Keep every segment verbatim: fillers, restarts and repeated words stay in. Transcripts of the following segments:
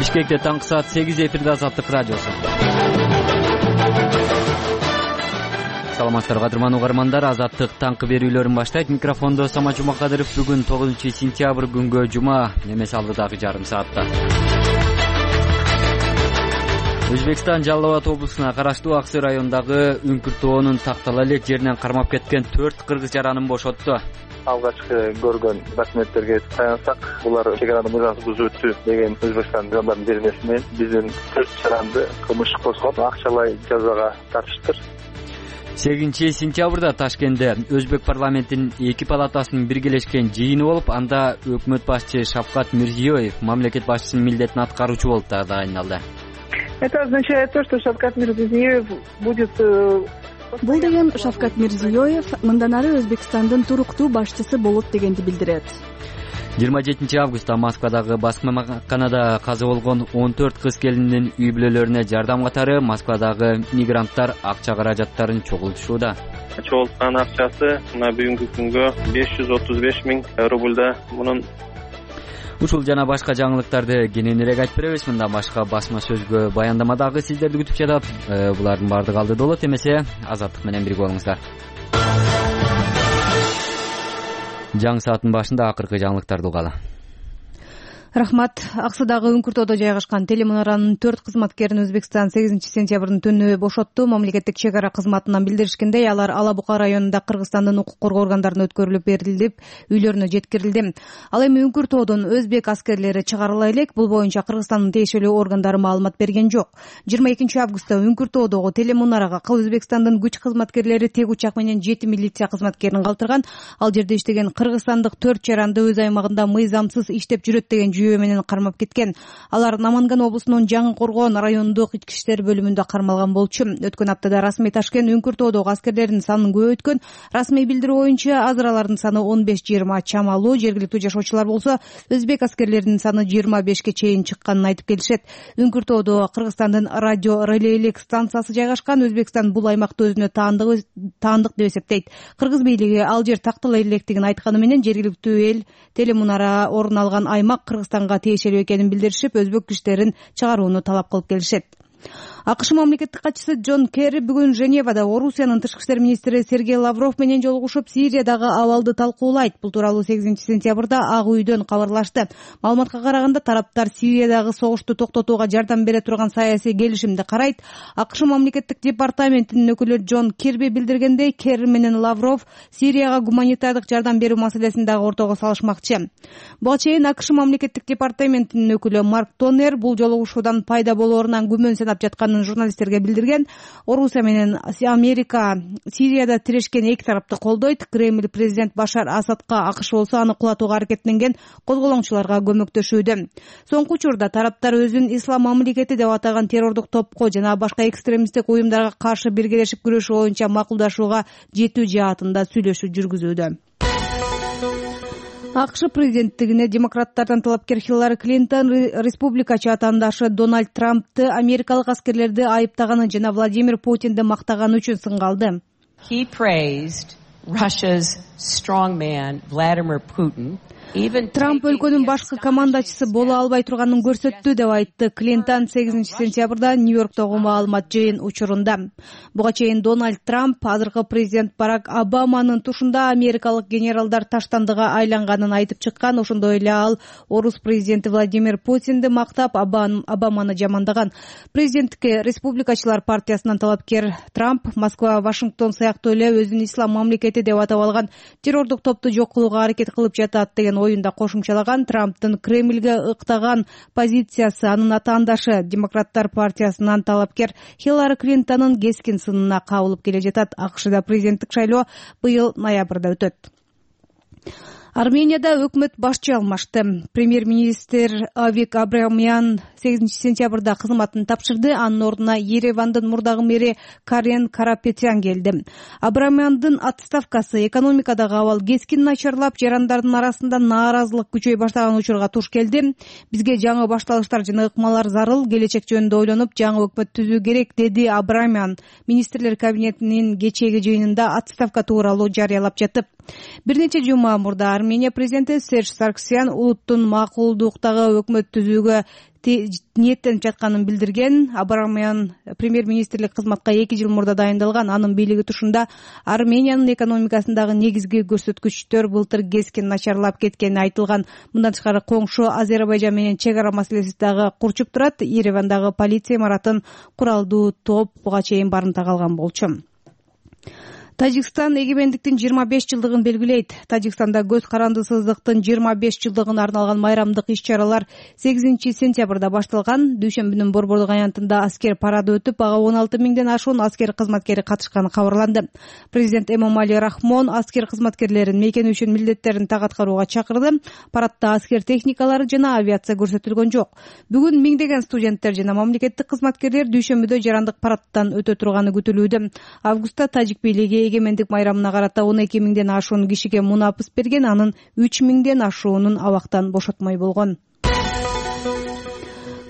Бишкекте таңкы саат сегиз эфирде Азаттык радиосу. Саламатсыздарбы кадырман угармандар, Азаттык таңкы берүүлөрүн баштайт. Микрофондо Самат Жумакадыров. Бүгүн тогузунчу сентябрь күнгө жума, эмес алдыдагы жарым саатта. Өзбекстан Жалал Абад облусуна караштуу Аксы районундагы Үңкүр-тоонун тактала элек жеринен кармап кеткен төрт кыргыз жаранын бошотту. Алгачкы көргөн документтерге таянсак, булар чегараны мыйзамсыз бузуп өттү деген Өзбекстан жандарынын беренеси менен биздин төрт жаранды кылмыш козгоп, акчалай жазага тартыштыр. сегизинчи сентябрда Ташкентте Өзбек парламентинин эки палатасынын биргелешкен жыйыны болуп, анда өкмөт башчысы Шавкат Мирзиёев мамлекет башчысынын милдетин аткаруучу болуп тагдайындалды. Это означает то, что Шавкат Мирзиёев будет... Бул деген Шавкат Мирзиёев мындан ары Өзбекстандын туруктуу башчысы болот дегенди билдирет. жыйырма жетинчи августта Москвадагы басмаканада каза болгон он төрт кыз келиндин үй бүлөлөрүнө жардам катары Москвадагы мигранттар акча каражаттарын чогултушууда. Чогулткан акчасы мына бүгүнкү күнгө беш жүз отуз беш миң рубльда. Мунун Ушул жана башка жаңылыктарды кененирээк айтып беребиз. Мындан башка басма сөзгө баяндама дагы сиздерди күтүп жатат. Булардын баардыгы алдыда болот. Эмесе Азаттык менен бирге болуңуздар. Жаңы сааттын башында акыркы жаңылыктарды угалы. Рахмат. Аксыдагы Үңкүр-тоодо жайгашкан телемунаранын төрт кызматкерин Өзбекстан сегизинчи сентябрдын түнү бошотту. Мамлекеттик чек ара кызматынан билдиришкендей, алар Ала Бука районунда Кыргызстандын укук коргоо органдарына өткөрүлүп берилип, үйлөрүнө жеткирилди. Ал эми Үңкүр-тоодон өзбек аскерлери чыгарыла элек. Бул боюнча Кыргызстандын тиешелүү органдары маалымат берген жок. жыйырма экинчи августта Үңкүр-тоодогу телемунарага Өзбекстандын күч кызматкерлери тег учак менен жети милиция кызматкерин калтырган. Ал жерде иштеген кыргызстандык төрт жаранды өз аймагында мыйзамсыз иштеп жүрөт деген жүйө менен кармап кеткен. Алар Наманган облусунун Жаңы Коргоон райондук ички иштер бөлүмүндө кармалган болчу. Өткөн аптада расмий Ташкент Үңкүр-тоодогу аскерлердин санын көбөйткөн. Расмий билдирүү боюнча азыр алардын саны он беш жыйырма чамалуу. Жергиликтүү жашоочулар болсо өзбек аскерлеринин саны жыйырма бешке чейин чыкканын айтып келишет. Үңкүр-тоодо Кыргызстандын радио релейлик станциясы жайгашкан. Өзбекстан бул аймакты өзүнө таандык таандык деп эсептейт. Кыргыз бийлиги ал жер тактала электигин айтканы менен жергиликтүү эл телемунара орун алган аймак Кыргызстанга тиешелүү экенин билдиришип, өзбек күчтөрүн чыгарууну талап кылып келишет. АКШ мамлекеттик катчысы Джон Керри бүгүн Женевада Орусиянын тышкы иштер министри Сергей Лавров менен жолугушуп, Сириядагы абалды талкуулайт. Бул тууралуу сегизинчи сентябрда Ак үйдөн кабарлашты. Маалыматка караганда, тараптар Сириядагы согушту токтотууга жардам бере турган саясий келишимди карайт. АКШ мамлекеттик департаментинин өкүлү Джон Кирби билдиргендей, Керри менен Лавров Сирияга гуманитардык жардам берүү маселесин дагы ортого салышмакчы. Буга чейин АКШ мамлекеттик департаментинин өкүлү Марк Тоннер бул жолугушуудан пайда болоорунан күмөн санап жатканын журналисттерге билдирген. Орусия менен Америка Сирияда тирешкен эки тарапты колдойт. Кремль президент Башар Асадка, АКШ болсо аны кулатууга аракеттенген козголоңчуларга көмөктөшүүдө. Соңку учурда тараптар өзүн ислам мамлекети деп атаган террордук топко жана башка экстремисттик уюмдарга каршы биргелешип күрөшүү боюнча макулдашууга жетүү жаатында сүйлөшүү жүргүзүүдө. АКШ президенттигине демократтардан талапкер Хиллари Клинтон республикачы атаандашы Дональд Трампты америкалык аскерлерди айыптаганы жана Владимир Путинди мактаганы үчүн сынга алды. He praised Russia's strongman Vladimir Putin. Трамп өлкөнүн башкы командачысы боло албай турганын көрсөттү деп айтты Клинтон сегизинчи сентябрда Нью-Йорктогу маалымат жыйын учурунда. Буга чейин Дональд Трамп азыркы президент Барак Обаманын тушунда америкалык генералдар таштандыга айланганын айтып чыккан. Ошондой эле ал орус президенти Владимир Путинди мактап, Обаманы жамандаган. Президенттикке республикачылар партиясынан талапкер Трамп Москва, Вашингтон сыяктуу эле өзүн ислам мамлекети деп атап алган террордук топту жок кылууга аракет кылып жатат деген оюнда кошумчалаган. Трамптын Кремльге ыктаган позициясы анын атаандашы демократтар партиясынан талапкер Хиллари Клинтонун кескин сынына кабылып келе жатат. АКШда президенттик шайлоо быйыл ноябрда өтөт. Арменияда өкмөт башчы алмашты. Премьер-министр Авик Абрамян сегизинчи сентябрда кызматын тапшырды. Анын ордуна Еревандын мурдагы мэри Карен Карапетян келди. Абрамяндын отставкасы экономикадагы абал кескин начарлап, жарандардын арасында нааразылык күчөй баштаган учурга туш келди. Бизге жаңы башталыштар жана ыкмалар зарыл, келечек жөнүндө ойлонуп, жаңы өкмөт түзүү керек, деди Абрамян министрлер кабинетинин кечээги жыйынында отставка тууралуу жарыялап жатып. Бир нече жума мурда Армения президенти Серж Сарксян улуттун макулдуктагы өкмөт түзүүгө ниеттенип жатканын билдирген. Армениянын премьер-министрлик кызматка эки жыл мурда дайындалган анын бийлиги утушунда Армениянын экономикасындагы негизги көрсөткүчтөр былтыр кескин начарлап кеткени айтылган. Мындан тышкары коңшу Азербайжан менен чек ара маселеси дагы курчуп турат. Еревандагы полиция имаратын куралдуу топ буга чейин барымта калган болчу. Тажикстан эгемендиктин жыйырма беш жылдыгын белгилейт. Тажикстанда көз карандысыздыктын жыйырма беш жылдыгына арналган майрамдык иш-чаралар сегизинчи сентябрда башталган. Дүйшөмбүнүн борбордук аянтында аскер парады өтүп, ага он алты миңден ашуун аскер кызматкери катышканы кабарланды. Президент Эмомали Рахмон аскер кызматкерлерин мейкени үчүн милдеттерин так аткарууга чакырды. Парадда аскер техникалары жана авиация көрсөтүлгөн жок. Бүгүн миңдеген студенттер жана мамлекеттик кызматкерлер дүйшөмбүдө жарандык парадтан өтө турганы күтүлүүдө. Августта тажик бийлиги эгемендик майрамына карата он эки миңден ашуун кишиге мунапыс берген, анын үч миңден ашуунун абактан бошотмой болгон.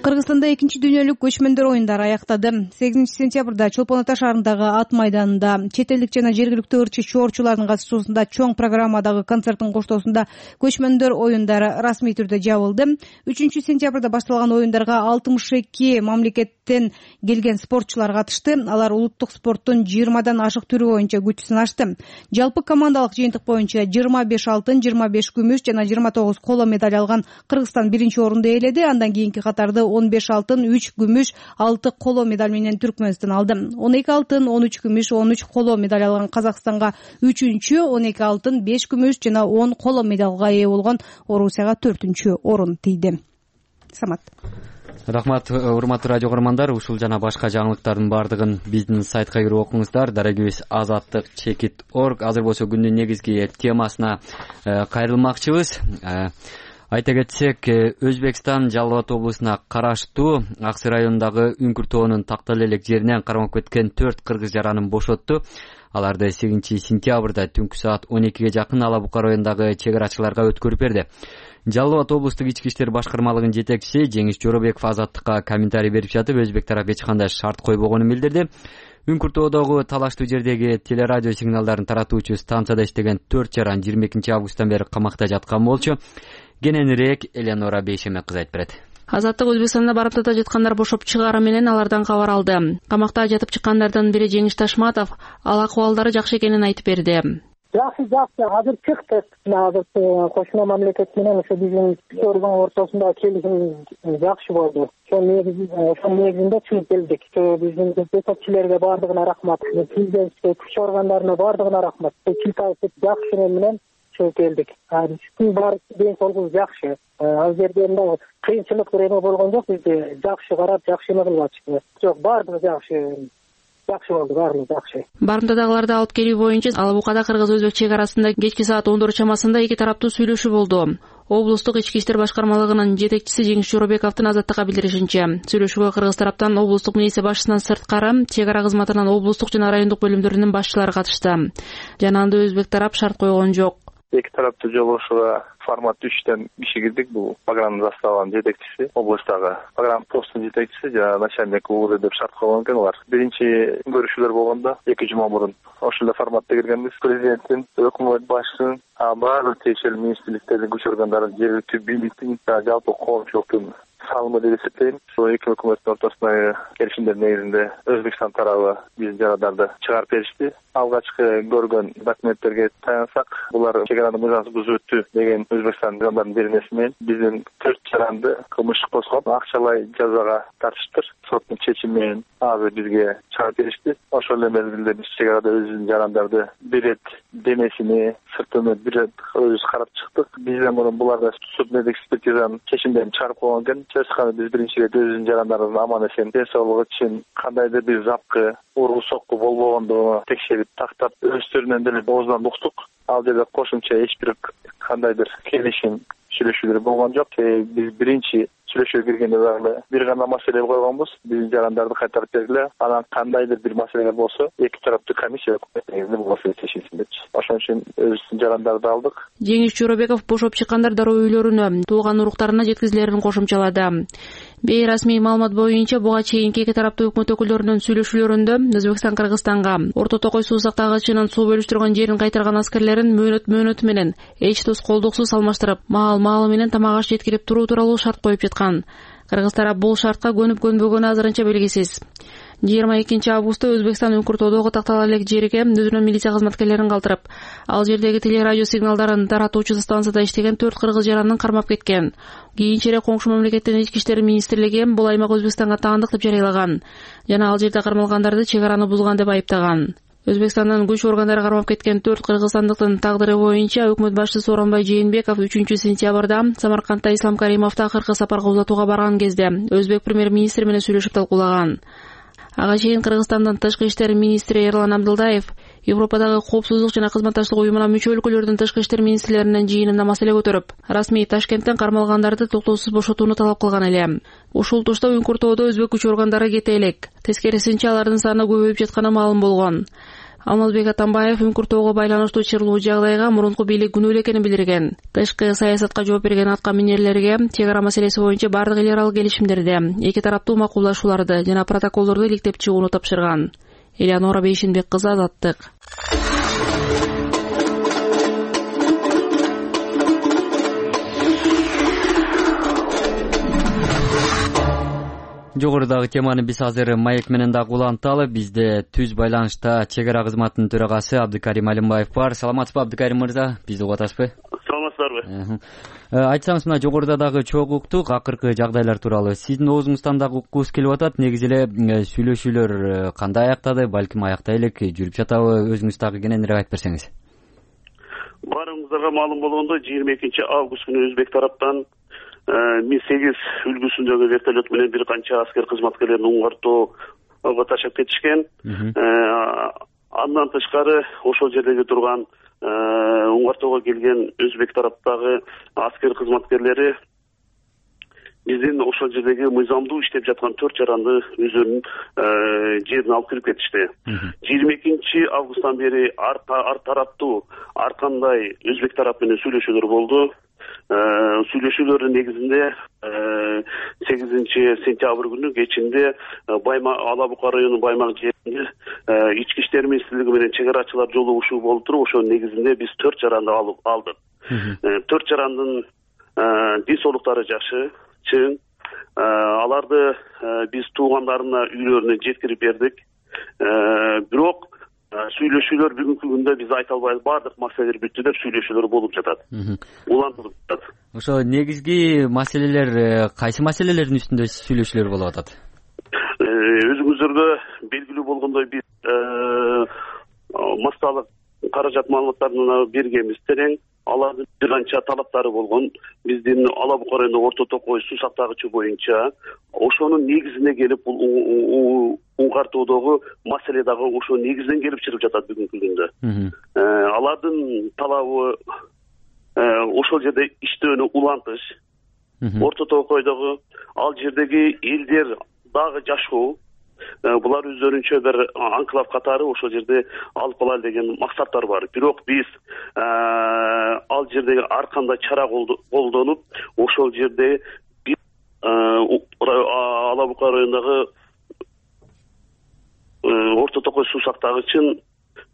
Кыргызстанда экинчи дүйнөлүк көчмөндөр оюндары аяктады. сегизинчи сентябрда Чолпон Ата шаарындагы ат майданында чет элдик жана жергиликтүү ырчы чоорчулардын катышуусунда чоң программадагы концерттин коштоосунда көчмөндөр оюндары расмий түрдө жабылды. үчүнчү сентябрда башталган оюндарга алтымыш эки мамлекеттен келген спортчулар катышты. Алар улуттук спорттун жыйырмадан ашык түрү боюнча күч сынашты. Жалпы командалык жыйынтык боюнча жыйырма беш алтын, жыйырма беш күмүш жана жыйырма тогуз коло медаль алган Кыргызстан биринчи орунду ээледи. Андан кийинки катарды он беш алтын, үч күмүш, алты коло медаль менен Түркмөнстан алды. он эки алтын, он үч күмүш, он үч коло медаль алган Казакстанга үчүнчү, он эки алтын, беш күмүш жана он коло медалга ээ болгон Орусияга төртүнчү орун тийди. Самат. Рахмат, урматтуу радио көрөрмандар. Ушул жана башка жаңылыктардын баардыгын биздин сайтка кирип окуңуздар. Дарегибиз азаттык чекит точка орг. Азыр болсо күндүн негизги темасына кайрылмакчыбыз. Айта кетсек, Өзбекстан Жалал Абад облусуна караштуу Ак Сый районундагы Үңкүр тоонун Тактал элек жеринен кармап кеткен төрт кыргыз жаранын бошотту. Аларды сегизинчи сентябрда түнкү саат он экиге жакын Ала Бука районундагы чек арачыларга өткөрүп берди. Жалал Абад облустук ички иштер башкармалыгынын жетекчиси Жеңиш Жоробеков азаттыкка комментарий берип жатып, өзбек тарап эч кандай шарт койбогонун билдирди. Үңкүр тоодогу талаштуу жердеги телерадио сигналдарын таратуучу станцияда иштеген төрт жаран жыйырма экинчи августтан бери камакта жаткан болчу. Кененирээк Элеонора Бейшемек кыз айтып берет. Азаттык Өзбекстанда барымтада жаткандар бошоп чыгаары менен алардан кабар алды. Камакта жатып чыккандардын бири Жеңиш Ташматов ал акыбалдары жакшы экенин айтып берди. Жакшы, жакшы. Азыр чыктык. Азыр кошуна мамлекет менен ошо биздин орган ортосунда келишим жакшы болду. Ошол негизинде чыгып келдик. Биздин жетекчилерге баардыгына рахмат. Президентке, күч органдарына баардыгына рахмат. Чылтайып жакшы менен чыгып келдик. Биздин баары ден соолугубуз жакшы. Ал жерде мына кыйынчылык бир эме болгон жок. Бизди жакшы карап, жакшы эме кылып атышты. Жок, баардыгы жакшы. Жакшы болду, баардыгы жакшы. Барымтадагыларды алып келүү боюнча Ала Букада кыргыз-өзбек чек арасында кечки саат он төрт чамасында эки тараптуу сүйлөшүү болду. Облустук ички иштер башкармалыгынын жетекчиси Жеңиш Жоробековдун азаттыкка билдиришинче, сүйлөшүүгө кыргыз тараптан облустук милиция башчысынан сырткары чек ара кызматынын облустук жана райондук бөлүмдөрүнүн башчылары катышты. Жана анда өзбек тарап шарт койгон жок. Эки тараптуу жолугушууга формат үчтөн киши кирдик. Бул программа заставанын жетекчиси, облустагы программа постунун жетекчиси жана начальник УВД деп шарт койгон экен алар. Биринчи көрүшүүлөр болгондо эки жума мурун ошол эле форматта киргенбиз. Президенттин, өкмөт башчысынын, баардык тиешелүү министрликтердин, күч органдарын, жергиликтүү бийликтин, жалпы коомчулуктун салымы деп эсептейм. Ошол эки өкмөттүн ортосундагы келишимдер негизинде Өзбекстан тарабы биздин жарандарды чыгарып беришти. Алгачкы көргөн документтерге таянсак, булар чек араны мыйзамсыз бузуп өттү деген Өзбекстан жарандардын беренеси менен биздин төрт жаранды кылмыш козгоп, акчалай жазага тартыштыр. Соттун чечими менен азыр бизге чыгарып беришти. Ошол эле мезгилде биз чек арада өзүбүздүн жарандарды бир рет денесини, сыртын бир рет өзүбүз карап чыктык. Бизден мурун буларда судный экспертизанын чечимдерин чыгарып койгон экен. Чечканы биз биринчи рет өзүбүздүн жарандардын аман эсен, ден соолугу үчүн кандайдыр бир запкы, ургу сокку болбогондугуну текшерип тактап, өздөрүнөн деле оозунан уктук. Ал жерде кошумча эч бир кандайдыр келишим, сүйлөшүүлөр болгон жок. Биз биринчи сүйлөшүүгө киргенде дагы бир гана маселе койгонбуз. Биздин жарандарды кайтарып бергиле. Анан кандайдыр бир маселелер болсо эки тараптуу комиссия негизинде бул маселе чечилсин депчи. Ошон үчүн өзүбүздүн жарандарды алдык. Жеңиш Жоробеков бошоп чыккандар дароо үйлөрүнө, туулган уруктарына жеткизилерин кошумчалады. Бейрасмий маалымат боюнча буга чейинки эки тараптуу өкмөт өкүлдөрүнүн сүйлөшүүлөрүндө Өзбекстан Кыргызстанга Орто Токой суу сактагычынын суу бөлүштүргөн жерин кайтарган аскерлерин мөөнөт мөөнөтү менен эч тоскоолдуксуз алмаштырып, маал маалы менен тамак аш жеткирип туруу тууралуу шарт коюп жаткан. Кыргыз тарап бул шартка көнүп көнбөгөнү азырынча белгисиз. жыйырма экинчи августта Өзбекстан Үңкүртөдөгү тактала элек жерге өзүнүн милиция кызматкерлерин калтырып, ал жердеги телерадио сигналдарын таратуучу станцияда иштеген төрт кыргыз жаранын кармап кеткен. Кийинчерээк коңшу мамлекеттин ички иштер министрлиги бул аймак Өзбекстанга таандык деп жарыялаган жана ал жерде кармалгандарды чек араны бузган деп айыптаган. Өзбекстандын күч органдары кармап кеткен төрт кыргызстандыктын тагдыры боюнча өкмөт башчысы Сооронбай Жээнбеков үчүнчү сентябрда Самаркандда Ислам Каримовду акыркы сапарга узатууга барган кезде өзбек премьер-министри менен сүйлөшүп талкуулаган. Ага чейин Кыргызстандын тышкы иштер министри Эрлан Абдылдаев Европадагы коопсуздук жана кызматташтык уюмуна мүчө өлкөлөрдүн тышкы иштер министрлеринин жыйынында маселе көтөрүп, расмий Ташкенттен кармалгандарды токтоосуз бошотууну талап кылган эле. Ушул тушта Үңкүртөдө өзбек күч органдары кете элек. Тескерисинче алардын саны көбөйүп жатканы маалым болгон. Алмазбек Атамбаев Үңкүртөөгө байланыштуу чырлуу жагдайга мурунку бийлик күнөөлүү экенин билдирген. Тышкы саясатка жооп берген атка минерлерге чек ара маселеси боюнча бардык эл аралык келишимдерди, эки тараптуу макулдашууларды жана протоколдорду иликтеп чыгууну тапшырган. Элеонора Бейшинбек кызы, Азаттык. Жогорудагы теманы биз азыр маек менен дагы уланталы. Бизде түз байланышта чек ара кызматынын төрагасы Абдыкарим Алимбаев бар. Саламатсызбы, Абдыкарим мырза? Бизди угуп атасызбы? Саламатсыздарбы? Айтсаңыз, мына жогоруда дагы чогуу уктук акыркы жагдайлар тууралуу. Сиздин оозуңуздан дагы уккубуз келип атат. Негизи эле сүйлөшүүлөр кандай аяктады, балким аяктай элек, жүрүп жатабы? Өзүңүз дагы кененирээк айтып берсеңиз. Баарыңыздарга маалым болгондой, жыйырма экинчи август күнү өзбек тараптан ми сегиз үлгүсүндөгү вертолет менен бир канча аскер кызматкерлерин Уңгартоого ташап кетишкен. Андан тышкары ошол жердеги турган Уңгартоого келген өзбек тараптагы аскер кызматкерлери биздин ошол жердеги мыйзамдуу иштеп жаткан төрт жаранды өздөрүнүн жерине алып кирип кетишти. жыйырма экинчи августтан бери ар тараптуу ар кандай өзбек тарап менен сүйлөшүүлөр болду. Сүйлөшүүлөрдүн негизинде сегизинчи сентябрь күнү кечинде Баймак, Ала Бука районунун Баймак жеринде ички иштер министрлиги менен чек арачылар жолугушуу болуп туруп, ошонун негизинде биз төрт жаранды алып алдык. Төрт жарандын ден соолуктары жакшы, чың. Аларды биз туугандарына үйлөрүнө жеткирип бердик. Бирок сүйлөшүүлөр бүгүнкү күндө биз айта албайбыз, баардык маселелер бүттү деп сүйлөшүүлөр болуп жатат. Улантылып жатат. Ошо негизги маселелер кайсы маселелердин үстүндө сүйлөшүүлөр болуп атат? Өзүңүздөргө белгилүү болгондой биз массалык каражат маалыматтарын бергенбиз терең. Алардын бир канча талаптары болгон. Биздин Ала Бука районунда Орто Токой суу сактагычы боюнча ошонун негизине келип бул Уңгартоодогу маселе дагы ошо негизден келип чыгып жатат бүгүнкү күндө. Алардын талабы ошол жерде иштөөнү улантыш. Орто Токойдогу ал жердеги элдер дагы жашоо. Булар өздөрүнчө бир анклав катары ошол жерде алып калалы деген максаттар бар. Бирок биз ал жердеги ар кандай чара колдонуп, ошол жерде биз Ала Бука районундагы Орто Токой суу сактагычын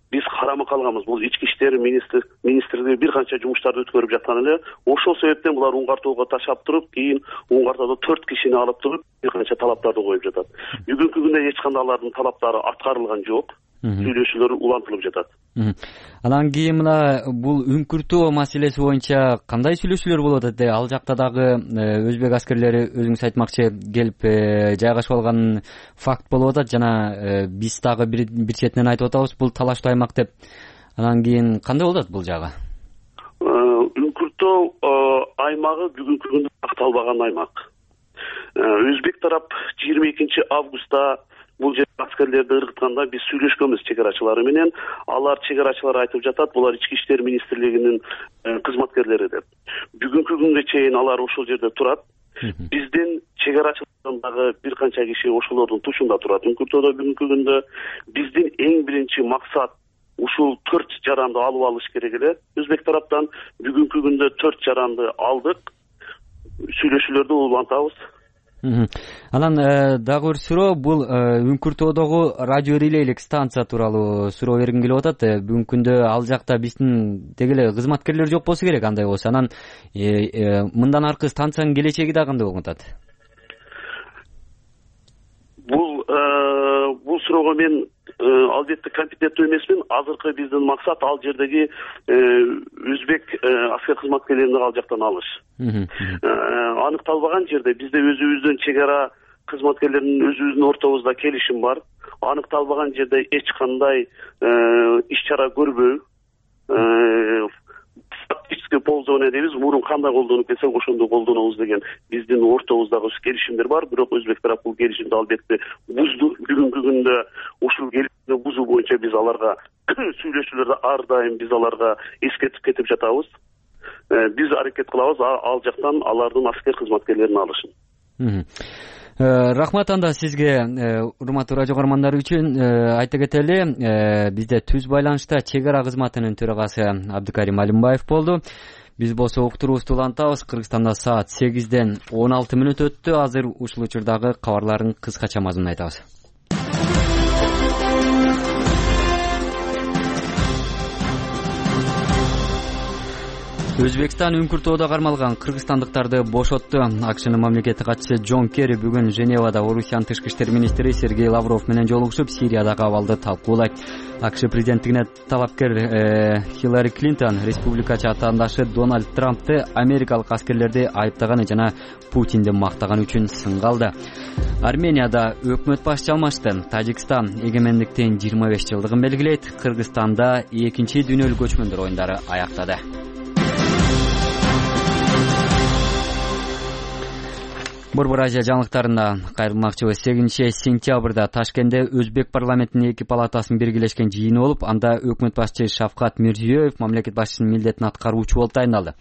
биз карама калганбыз. Бул ички иштер министрлиги бир канча жумуштарды өткөрүп жаткан эле. Ошол себептен булар Уңгартоого ташап туруп, кийин Уңгартоодо төрт кишини алып туруп бир канча талаптарды коюп жатат. Бүгүнкү күндө эч кандай алардын талаптары аткарылган жок. Сүйлөшүүлөр улантылып жатат. Анан кийин мына бул Үңкүртөө маселеси боюнча кандай сүйлөшүүлөр болуп атат? Ал жакта дагы өзбек аскерлери өзүңүз айтмакчы келип жайгашып алган факт болуп атат жана биз дагы бир четинен айтып атабыз бул талаштуу аймак деп. Анан кийин кандай болуп атат бул жагы? Үңкүртөө аймагы бүгүнкү күндө акталбаган аймак. Өзбек тарап жыйырма экинчи августта бул жер аскерлерди ыргытканда биз сүйлөшкөнбүз чек арачылары менен. Алар чек арачылар айтып жатат, булар ички иштер министрлигинин кызматкерлери деп. Бүгүнкү күнгө чейин алар ошол жерде турат. биздин чек арачылардан дагы бир канча киши ошолордун тушунда турат Үңкүртөдө бүгүнкү күндө. Биздин эң биринчи максат ушул төрт жаранды алып алыш керек эле. Өзбек тараптан бүгүнкү күндө төрт жаранды алдык. Сүйлөшүүлөрдү улантабыз. Анан дагы бир суроо, бул Үңкүртөдөгү радио релейлик станция тууралуу суроо бергим келип атат. Бүгүнкү күндө ал жакта биздин деги эле кызматкерлер жок болсо керек, андай болсо. Анан мындан аркы станциянын келечеги да кандай болуп атат? Бул бул суроого мен албетте компетенттүү эмесмин. Азыркы биздин максат ал жердеги өзбек аскер кызматкерлерин ал жактан алыш. Аныкталбаган жерде бизде өзүбүздүн чек ара кызматкерлеринин өзүбүздүн ортобузда келишим бар. Аныкталбаган жерде эч кандай иш чара көрбөй, фактическое пользование дейбиз, мурун кандай колдонуп келсек ошондой колдонобуз деген биздин ортобуздагы келишимдер бар. Бирок өзбек тарап бул келишимди албетте бузду. Бүгүнкү күндө ушул келишимди бузуу боюнча биз аларга сүйлөшүүлөрдө ар дайым биз аларга эскертип кетип жатабыз. Биз аракет кылабыз ал жактан алардын аскер кызматкерлерин алышын. Рахмат анда сизге, урматтуу радио көрөрмандар үчүн айта кетели, бизде түз байланышта чек ара кызматынын төрагасы Абдыкарим Алимбаев болду. Биз болсо уктуруубузду улантабыз. Кыргызстанда саат сегизден он алты мүнөт өттү. Азыр ушул учурдагы кабарлардын кыскача мазмунун айтабыз. Өзбекстан Үңкүртөөдө кармалган кыргызстандыктарды бошотту. АКШнын мамлекеттик катчысы Джон Керри бүгүн Женевада Орусиянын тышкы иштер министри Сергей Лавров менен жолугушуп, Сириядагы абалды талкуулайт. АКШ президенттигине талапкер Хиллари Клинтон республикачы атаандашы Дональд Трампты америкалык аскерлерди айыптаганы жана Путинди мактаганы үчүн сынга алды. Арменияда өкмөт башчы алмашты. Тажикстан эгемендиктин жыйырма беш жылдыгын белгилейт. Кыргызстанда экинчи дүйнөлүк көчмөндөр оюндары аяктады. Борбор Азия жаңылыктарына кайрылмакчыбыз. сегизинчи сентябрда Ташкентте Өзбек парламентинин эки палатасынын биргелешкен жыйыны болуп, анда өкмөт башчы Шавкат Мирзиёев мамлекет башчысынын милдетин аткаруучу болуп тайындалды.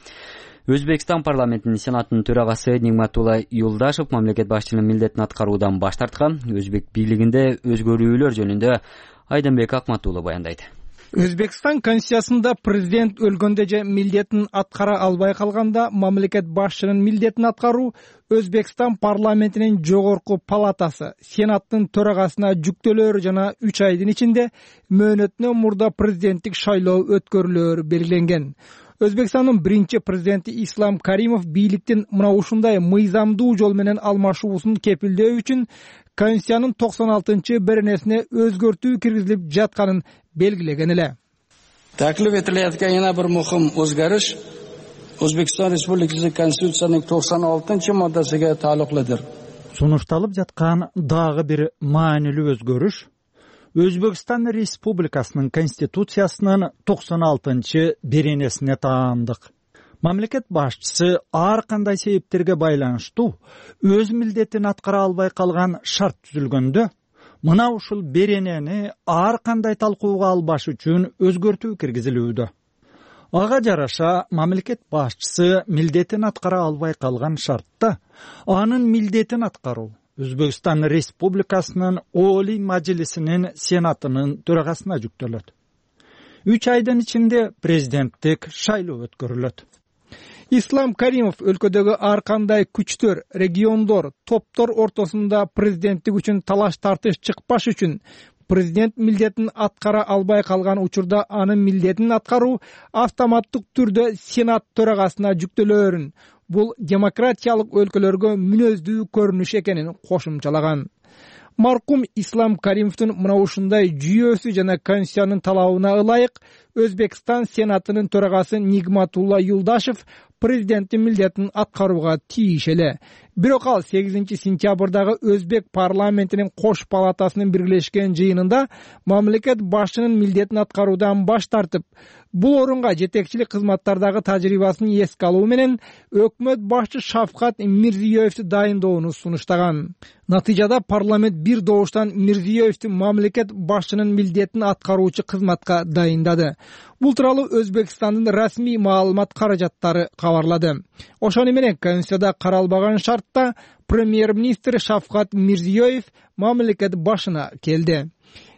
Өзбекстан парламентинин сенатынын төрагасы Нигматулла Юлдашев мамлекет башчынын милдетин аткаруудан баш тарткан. Өзбек бийлигинде өзгөрүүлөр жөнүндө Айданбек Акматулла баяндайт. Өзбекстан конституциясында президент өлгөндө же милдетин аткара албай калганда мамлекет башчынын милдетин аткаруу Өзбекстан парламентинин жогорку палатасы сенаттын төрагасына жүктөлөөр жана үч айдын ичинде мөөнөтүнөн мурда президенттик шайлоо өткөрүлөөрү белгиленген. Өзбекстандын биринчи президенти Ислам Каримов бийликтин мына ушундай мыйзамдуу жол менен алмашуусун кепилдөө үчүн Конституциянын токсон алтынчы беренесине өзгөртүү киргизилип жатканын белгилеген эле. Taklif etilayotgan yana bir muhim o'zgarish O'zbekiston Respublikasi Konstitutsiyasining tokson oltinchi moddasiga taalluqlidir. Сунушталып жаткан дагы бир маанилүү өзгөрүш Өзбекстан Республикасынын Конституциясынын токсон алтынчы беренесине таандык. Мамлекет башчысы ар кандай себептерге байланыштуу өз милдетин аткара албай калган шарт түзүлгөндө мына ушул беренени ар кандай талкууга албаш үчүн өзгөртүү киргизилүүдө. Ага жараша мамлекет башчысы милдетин аткара албай калган шартта анын милдетин аткаруу Өзбекстан Республикасынын Олий Мажлисинин сенатынын төрагасына жүктөлөт. үч айдын ичинде президенттик шайлоо өткөрүлөт. Ислам Каримов өлкөдөгү ар кандай күчтөр, региондор, топтор ортосунда президенттик үчүн талаш тартыш чыкпаш үчүн президент милдетин аткара албай калган учурда анын милдетин аткаруу автоматтык түрдө сенат төрагасына жүктөлөөрүн, бул демократиялык өлкөлөргө мүнөздүү көрүнүш экенин кошумчалаган. Маркум Ислам Каримовдун мына ушундай жүйөсү жана конституциянын талабына ылайык Өзбекстан сенатынын төрагасы Нигматулла Юлдашев президенттин милдетин аткарууга тийиш эле. Бирок ал сегизинчи сентябрдагы Өзбек парламентинин кош палатасынын биргелешкен жыйынында мамлекет башчынын милдетин аткаруудан баш тартып, бул орунга жетекчилик кызматтардагы тажрыйбасын эске алуу менен өкмөт башчы Шавкат Мирзиёевди дайындоону сунуштаган. Натыйжада парламент бир добуштан Мирзиёевди мамлекет башчынын милдетин аткаруучу кызматка дайындады. Бул тууралуу Өзбекстандын расмий маалымат каражаттары кабарлады. Ошону менен Конституцияда каралбаган шарт саатта премьер-министр Шавкат Мирзиёев мамлекет башына келди.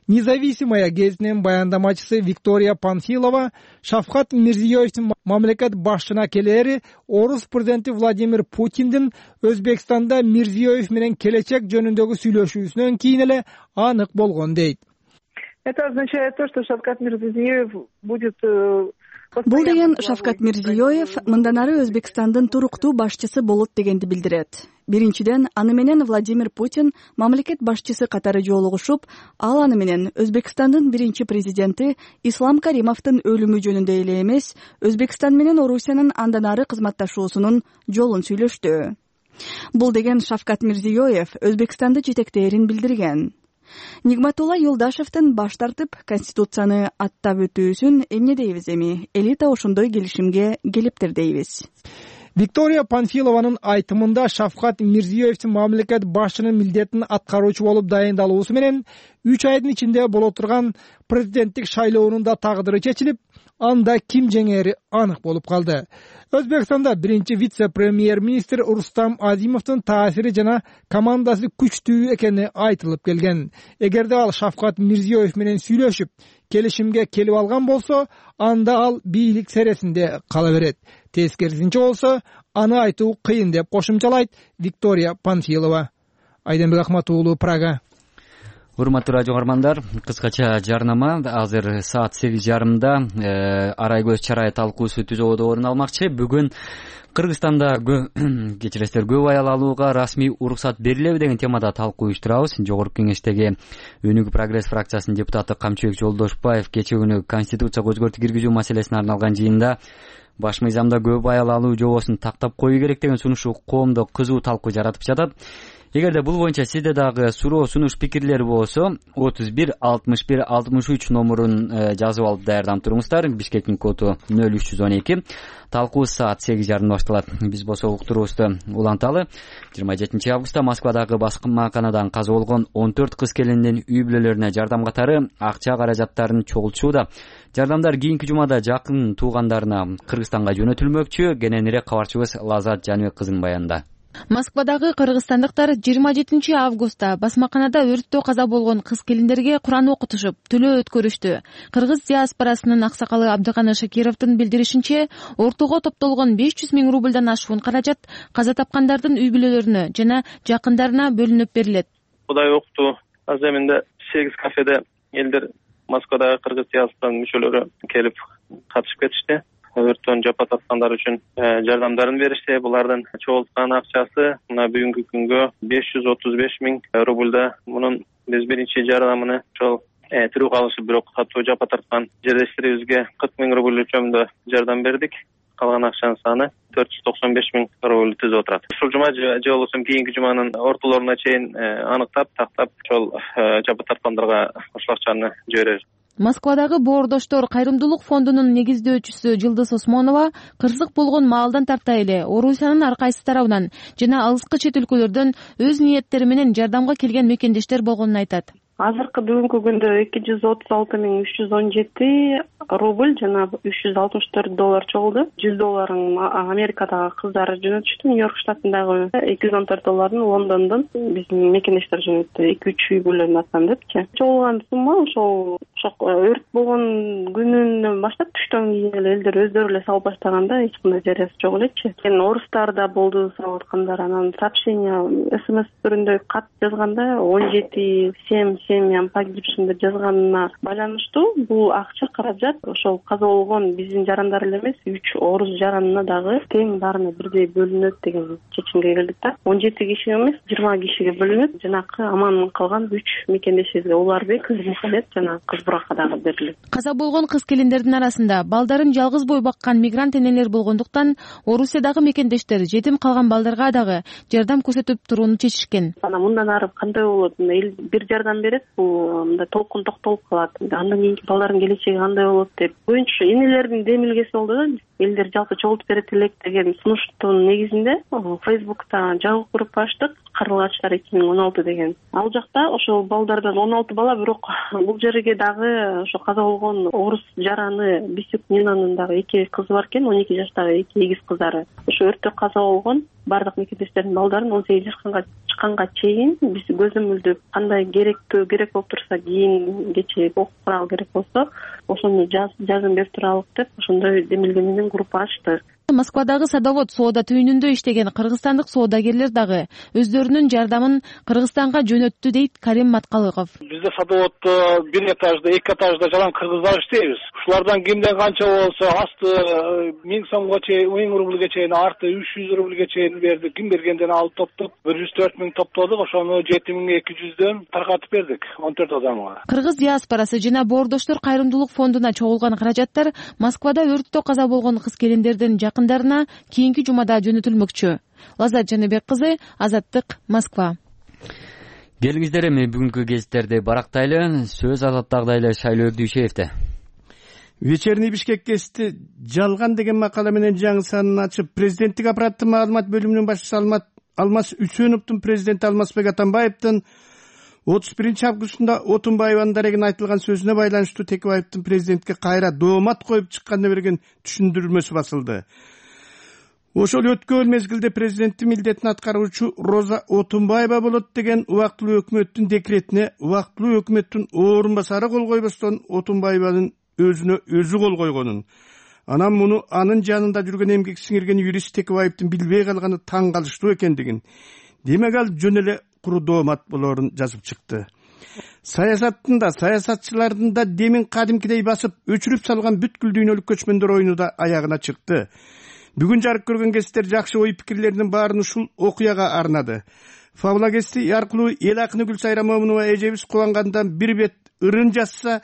Независимая гезитинин баяндамачысы Виктория Панфилова Шавкат Мирзиёевдин мамлекет башына келери орус президенти Владимир Путиндин Өзбекстанда Мирзиёев менен келечек жөнүндөгү сүйлөшүүсүнөн кийин эле анык болгон дейт. Это означает то, что Шавкат Мирзиёев будет... Бул деген Шавкат Мирзиёев мындан ары Өзбекстандын туруктуу башчысы болот дегенди билдирет. Биринчиден, аны менен Владимир Путин мамлекет башчысы катары жолугушуп, ал аны менен Өзбекстандын биринчи президенти Ислам Каримовдун өлүмү жөнүндө эле эмес, Өзбекстан менен Орусиянын андан ары кызматташуусунун жолун сүйлөштү. Бул деген Шавкат Мирзиёев Өзбекстанды жетектээрин билдирген. Нигматулла Юлдашевдин баш тартып Конституцияны аттап өтүүсүн эмне дейбиз эми? Элита ошондой келишимге келиптир дейбиз. Виктория Панфилованын айтымында Шавкат Мирзиёевдин мамлекет башчынын милдетин аткаруучу болуп дайындалуусу менен үч айдын ичинде боло турган президенттик шайлоонун да тагдыры чечилип, анда ким жеңери анык болуп калды. Өзбекстанда биринчи вице-премьер-министр Рустам Азимовдун таасири жана командасы күчтүү экени айтылып келген. Эгерде ал Шавкат Мирзиёев менен сүйлөшүп, келишимге келип алган болсо, анда ал бийлик сересинде кала берет. Тескерисинче болсо, аны айтуу кыйын деп кошумчалайт Виктория Панфилова. Айденбек Ахмат уулу, Прага. Урматтуу радио угармандар, кыскача жарнама. Азыр саат сегиз жарымда Арай көз чарай талкуусу түзөдө орун алмакчы. Бүгүн Кыргызстанда кечиресиздер көп аял алууга расмий уруксат берилеби деген темада талкуу уюштурабыз. Жогорку кеңештеги Өнүгүү прогресс фракциясынын депутаты Камчыбек Жолдошбаев кечээ күнү Конституцияга өзгөртүү киргизүү маселесине арналган жыйында баш мыйзамда көп аял алуу жобосун тактап коюу керек деген сунушу коомдо кызуу талкуу жаратып жатат. Эгерде бул боюнча сизде дагы суроо, сунуш, пикирлер болсо, отуз бир алтымыш бир алтымыш үч номурун жазып алып даярданып туруңуздар. Бишкектин коду нөл үч жүз он эки. Талкуу саат сегиз жарымда башталат. Биз болсо уктуруубузду уланталы. жыйырма жетинчи августта Москвадагы баскынмаканадан каза болгон он төрт кыз келиндин үй бүлөлөрүнө жардам катары акча каражаттарын чогултууда. Жардамдар кийинки жумада жакын туугандарына Кыргызстанга жөнөтүлмөкчү. Кененирээк кабарчыбыз Лазат Жаныбек кызынын баянында. Москвадагы кыргызстандыктар жыйырма жетинчи августта басмаканада өрттө каза болгон кыз келиндерге Куран окутушуп, төлөө өткөрүштү. Кыргыз диаспорасынын аксакалы Абдыканы Шакировдун билдиришинче, ортого топтолгон беш жүз миң рубльдан ашуун каражат каза тапкандардын үй бүлөлөрүнө жана жакындарына бөлүнүп берилет. Кудай окту аземинде сегиз кафеде элдер Москвадагы кыргыз диаспорасынын мүчөлөрү келип катышып кетишти. Өрттөн жапа тарткандар үчүн жардамдарын беришти. Булардын чогулткан акчасы мына бүгүнкү күнгө беш жүз отуз беш миң рубльда. Мунун биз биринчи жардамын ошол тирүү калышып бирок катуу жапа тарткан жерлештерибизге кырк миң рубль өлчөмүндө жардам бердик. Калган акчанын саны төрт жүз токсон беш миң рубль түзүп отурат. Ушул жума же болбосо кийинки жуманын ортолоруна чейин аныктап, тактап ошол жапа тарткандарга ошол акчаны жиберебиз. Москвадагы Боордоштор кайрымдуулук фондунун негиздөөчүсү Жылдыз Осмонова кырсык болгон маалдан тарта эле Орусиянын ар кайсы тарабынан жана алыскы чет өлкөлөрдөн өз ниеттери менен жардамга келген мекендештер болгонун айтат. Азыркы бүгүнкү күндө эки жүз отуз алты миң үч жүз он жети рубль жана үч жүз алтымыш төрт доллар чогулду. жүз долларын Америкадагы кыздар жөнөтүштү, Нью-Йорк штатындагы эки жүз он төрт долларын Лондондон биздин мекендештер жөнөттү. эки үч үй бүлөнүн атынан депчи. Чогулган сумма ошол өрт болгон күнүнөн баштап түштөн кийин эле элдер өздөрү эле салып баштаганда эч кандай жарыясы жок элечи. Эми орустар да болду салып аткандар, анан сообщение смс түрүндө кат жазганда он жети семь семьям погибшим деп жазганына байланыштуу бул акча каражат ошол каза болгон биздин жарандар эле эмес үч орус жаранына дагы тең баарына бирдей бөлүнөт деген чечимге келдик да. он жети кишиге эмес жыйырма кишиге бөлүнөт. Жанакы аман калган үч мекендешибизге Уларбек, Кызмухаммед жана Кызбурака дагы берилет. Каза болгон кыз келиндердин арасында балдарын жалгыз бой баккан мигрант энелер болгондуктан Орусиядагы мекендештер жетим калган балдарга дагы жардам көрсөтүп турууну чечишкен. Анан мындан ары кандай болот? Эл бир жардам берет, бул мындай толкун токтолуп калат. Андан кийинки балдардын келечеги кандай болот деп. Боюнча энелердин демилгеси болду да. элдер жалпы чогултуп берет элек деген сунуштун негизинде Фейсбукта жаңы группа ачтык, Карлыгачтар эки миң он алты деген. Ал жакта ошол балдардан он алты бала, бирок бул жерге дагы ошо каза болгон орус жараны Бисюк Нинанын дагы эки кызы бар экен, он эки жаштагы эки эгиз кыздары. Ошо өрттө каза болгон бардык мекендештердин балдарын он сегиз жашка чыкканга чейин биз көзөмөлдөп, кандай керектүү керек болуп турса, кийин кече ок курал керек болсо ошону жазым берип туралык деп ошондой демилге менен группа ачтык. Москвадагы садовод соода түйүнүндө иштеген кыргызстандык соодагерлер дагы өздөрүнүн жардамын Кыргызстанга жөнөттү дейт Карим Маткалыков. Бизде садоводто бир этажда, эки этажда жалаң кыргыздар иштейбиз. Ушулардан кимден канча болсо асты миң сомго чейин, миң рубльге чейин, арты үч жүз рубльге чейин бердик. Ким бергенден алып топтоп бир жүз төрт миң топтодук, ошону жети миң эки жүздөн таркатып бердик он төрт адамга. Кыргыз диаспорасы жана Боордоштор кайрымдуулук фондуна чогулган каражаттар Москвада өрттө каза болгон кыз-келиндердин жакындарына кийинки жумада жөнөтүлмөкчү. Лаззат Жаныбек кызы, Азаттык, Москва. Келиңиздер эми бүгүнкү гезиттерди барактайлы. Сөз Азаттагыдай эле Шайлоо Дүйшеевде. Вечерний Бишкек гезити жалган деген макала менен жаңы санын ачып, президенттик аппараттын маалымат бөлүмүнүн башчысы Алмаз Үсөновдун президенти Алмазбек Атамбаевдин отуз биринчи августунда Отунбаеванын дарегине айтылган сөзүнө байланыштуу Текебаевдин президентке кайра доомат коюп чыкканына берген түшүндүрмөсү басылды. Ошол өткөн мезгилде президенттин милдетин аткаруучу Роза Отунбаева болот деген убактылуу өкмөттүн декретине убактылуу өкмөттүн орун басары кол койбостон Отунбаеванын өзүнө өзү кол койгонун, анан муну анын жанында жүргөн эмгек сиңирген юрист Текебаевдин билбей калганы таң калыштуу экендигин, демек ал жөн эле куру доомат болорун жазып чыкты. Саясаттын да, саясатчылардын да демин кадимкидей басып, өчүрүп салган бүткүл дүйнөлүк көчмөндөр оюну да аягына чыкты. Бүгүн жарык көргөн гезиттер жакшы ой пикирлеринин баарын ушул окуяга арнады. Фабула гезити аркылуу эл акыны Гүлсайра Момунова эжебиз кубангандан бир бет ырын жазса,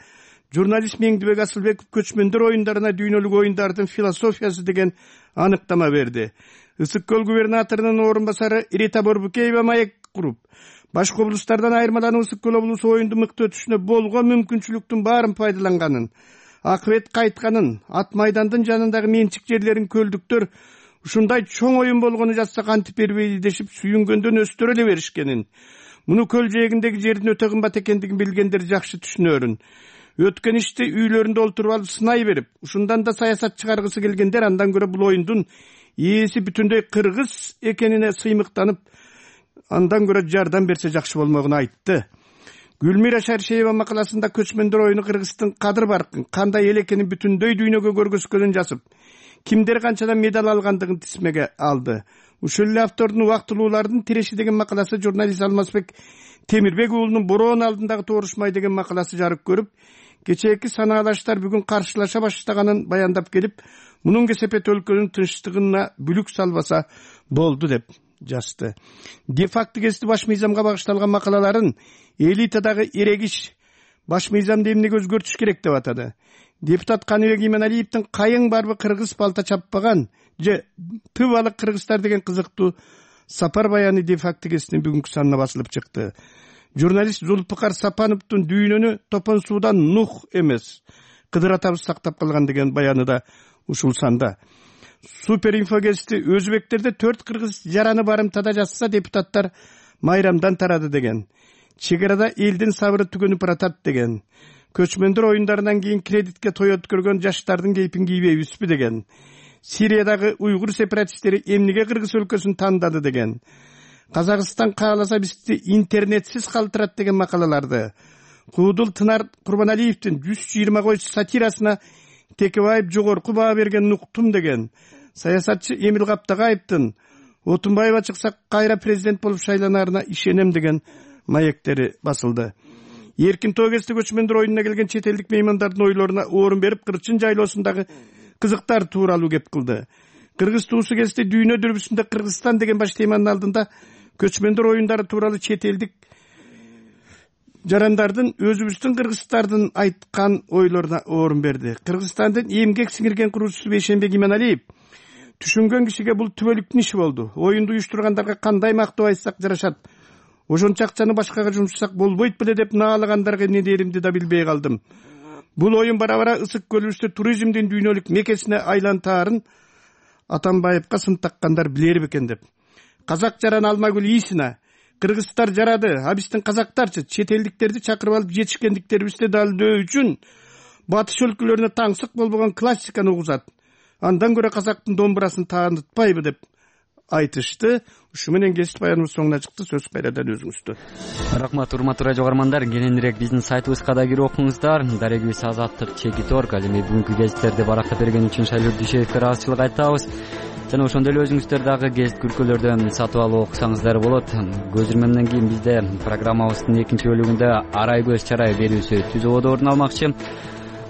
журналист Меңдибек Асылбеков көчмөндөр оюндарына дүйнөлүк оюндардын философиясы деген аныктама берди. Ысык көл губернаторунун орун басары Рита Борбукеева маек куруп, башка облустардан айырмаланып Ысык көл облусу оюнду мыкты өтүшүнө болгон мүмкүнчүлүктүн баарын пайдаланганын, акыбет кайтканын, ат майдандын жанындагы менчик жерлерин көлдүктөр ушундай чоң оюн болгону жазса кантип бербейди дешип сүйүнгөндөн өстөрө эле беришкенин, муну көл жээгиндеги жердин өтө кымбат экендигин билгендер жакшы түшүнөрүн. Өткөн ишти үйлөрүндө олтуруп алып сынай берип, ушундан да саясат чыгаргысы келгендер андан көрө бул оюндун ээси бүтүндөй кыргыз экенине сыймыктанып, андан көрө жардам берсе жакшы болмогун айтты. Гүлмира Шаршеева макаласында көчмөндөр оюну Кыргыздын кадыр баркын, кандай эл экенин бүтүндөй дүйнөгө көргөзгөнүн жазып, кимдер канчадан медаль алгандыгын тизмеге алды. Ушул эле автордун убактылуулардын тиреши деген макаласы журналист Алмазбек Темирбек уулунун бороон алдындагы тоорушмай деген макаласы жарык көрүп, кечээки санаалаштар бүгүн каршылаша баштаганын баяндап келип, мунун кесепет өлкөнүн тынчтыгына бүлүк салбаса болду деп жазды. Де-факто гезити баш мыйзамга багышталган макалаларын элитадагы эрегиш баш мыйзамды эмнеге өзгөртүш керек деп атады. Депутат Каныбек Иманалиевдин кайың барбы кыргыз балта чаппаган же тып алык кыргыздар деген кызыктуу сапар баяны де-факто гезитинин бүгүнкү санына басылып чыкты. Журналист Зулпукар Сапановдун дүйнөнү топон суудан Нух эмес, Кыдыр атабыз сактап калган деген баяны да ушул санда. Супер инфо гезити өзбектерде төрт кыргыз жараны барымтада жазса, депутаттар майрамдан тарады деген. Чегарада элдин сабыры түгөнүп баратат деген. Көчмөндөр оюндарынан кийин кредитке той өткөргөн жаштардын кейпин кийбейбизби деген. Сириядагы уйгур сепаратисттери эмнеге кыргыз өлкөсүн тандады деген. Казакстан кааласа бизди интернетсиз калтырат деген макалаларды. Куудул Тынар Курбаналиевдин жүз жыйырма кой сатирасына Текебаев жогорку баа берген нуктум деген. Саясатчы Эмил Каптагаевдин Отунбаева чыкса кайра президент болуп шайланарына ишенем деген маектери басылды. Эркин Тогести көчмөндөр оюнуна келген чет элдик меймандардын ойлоруна орун берип, Кырчын жайлоосундагы кызыктар тууралуу кеп кылды. Кыргыз туусу гезити дүйнө дүрбүсүндө Кыргызстан деген баш теманын алдында көчмөндөр оюндары тууралуу чет элдик жарандардын өзүбүздүн кыргыздардын айткан ойлоруна орун берди. Кыргызстандын эмгек сиңирген куруучусу Бейшенбек Иманалиев түшүнгөн кишиге бул түбөлүктүн иши болду. Оюнду уюштургандарга кандай мактоо айтсак жарашат, ошончо акчаны башкага жумшасак болбойт беле деп наалагандарга эмне деримди да билбей калдым. бул оюн бара бара Ысык көлүбүздө туризмдин дүйнөлүк мекесине айлантаарын Атамбаевка сын таккандар билери бекен деп. Казак жаран Алмагүл Исина кыргыздар жарады, а биздин казактарчы чет элдиктерди чакырып алып жетишкендиктерибизди далилдөө үчүн батыш өлкөлөрүнө таңсык болбогон классиканы угузат. Андан көрө казактын домбурасын таанытпайбы деп айтышты. Ушу менен кесип баяныбыз соңуна чыкты. Сөз кайрадан өзүңүздө. Рахмат, урматтуу радио каармандар. Кененирээк биздин сайтыбызга да кирип окуңуздар. Дарегибиз Азаттык чекит точка орг. Ал эми бүгүнкү гезиттерди барактап берген үчүн Шайлуу Дүйшеевке ыраазычылык айтабыз. Жана ошондой эле өзүңүздөр дагы гезит күркөлөрдөн сатып алып окусаңыздар болот. Көзүрмөмдөн кийин бизде программабыздын экинчи бөлүгүндө арай көз чарай берүүсү түз ободо орун алмакчы.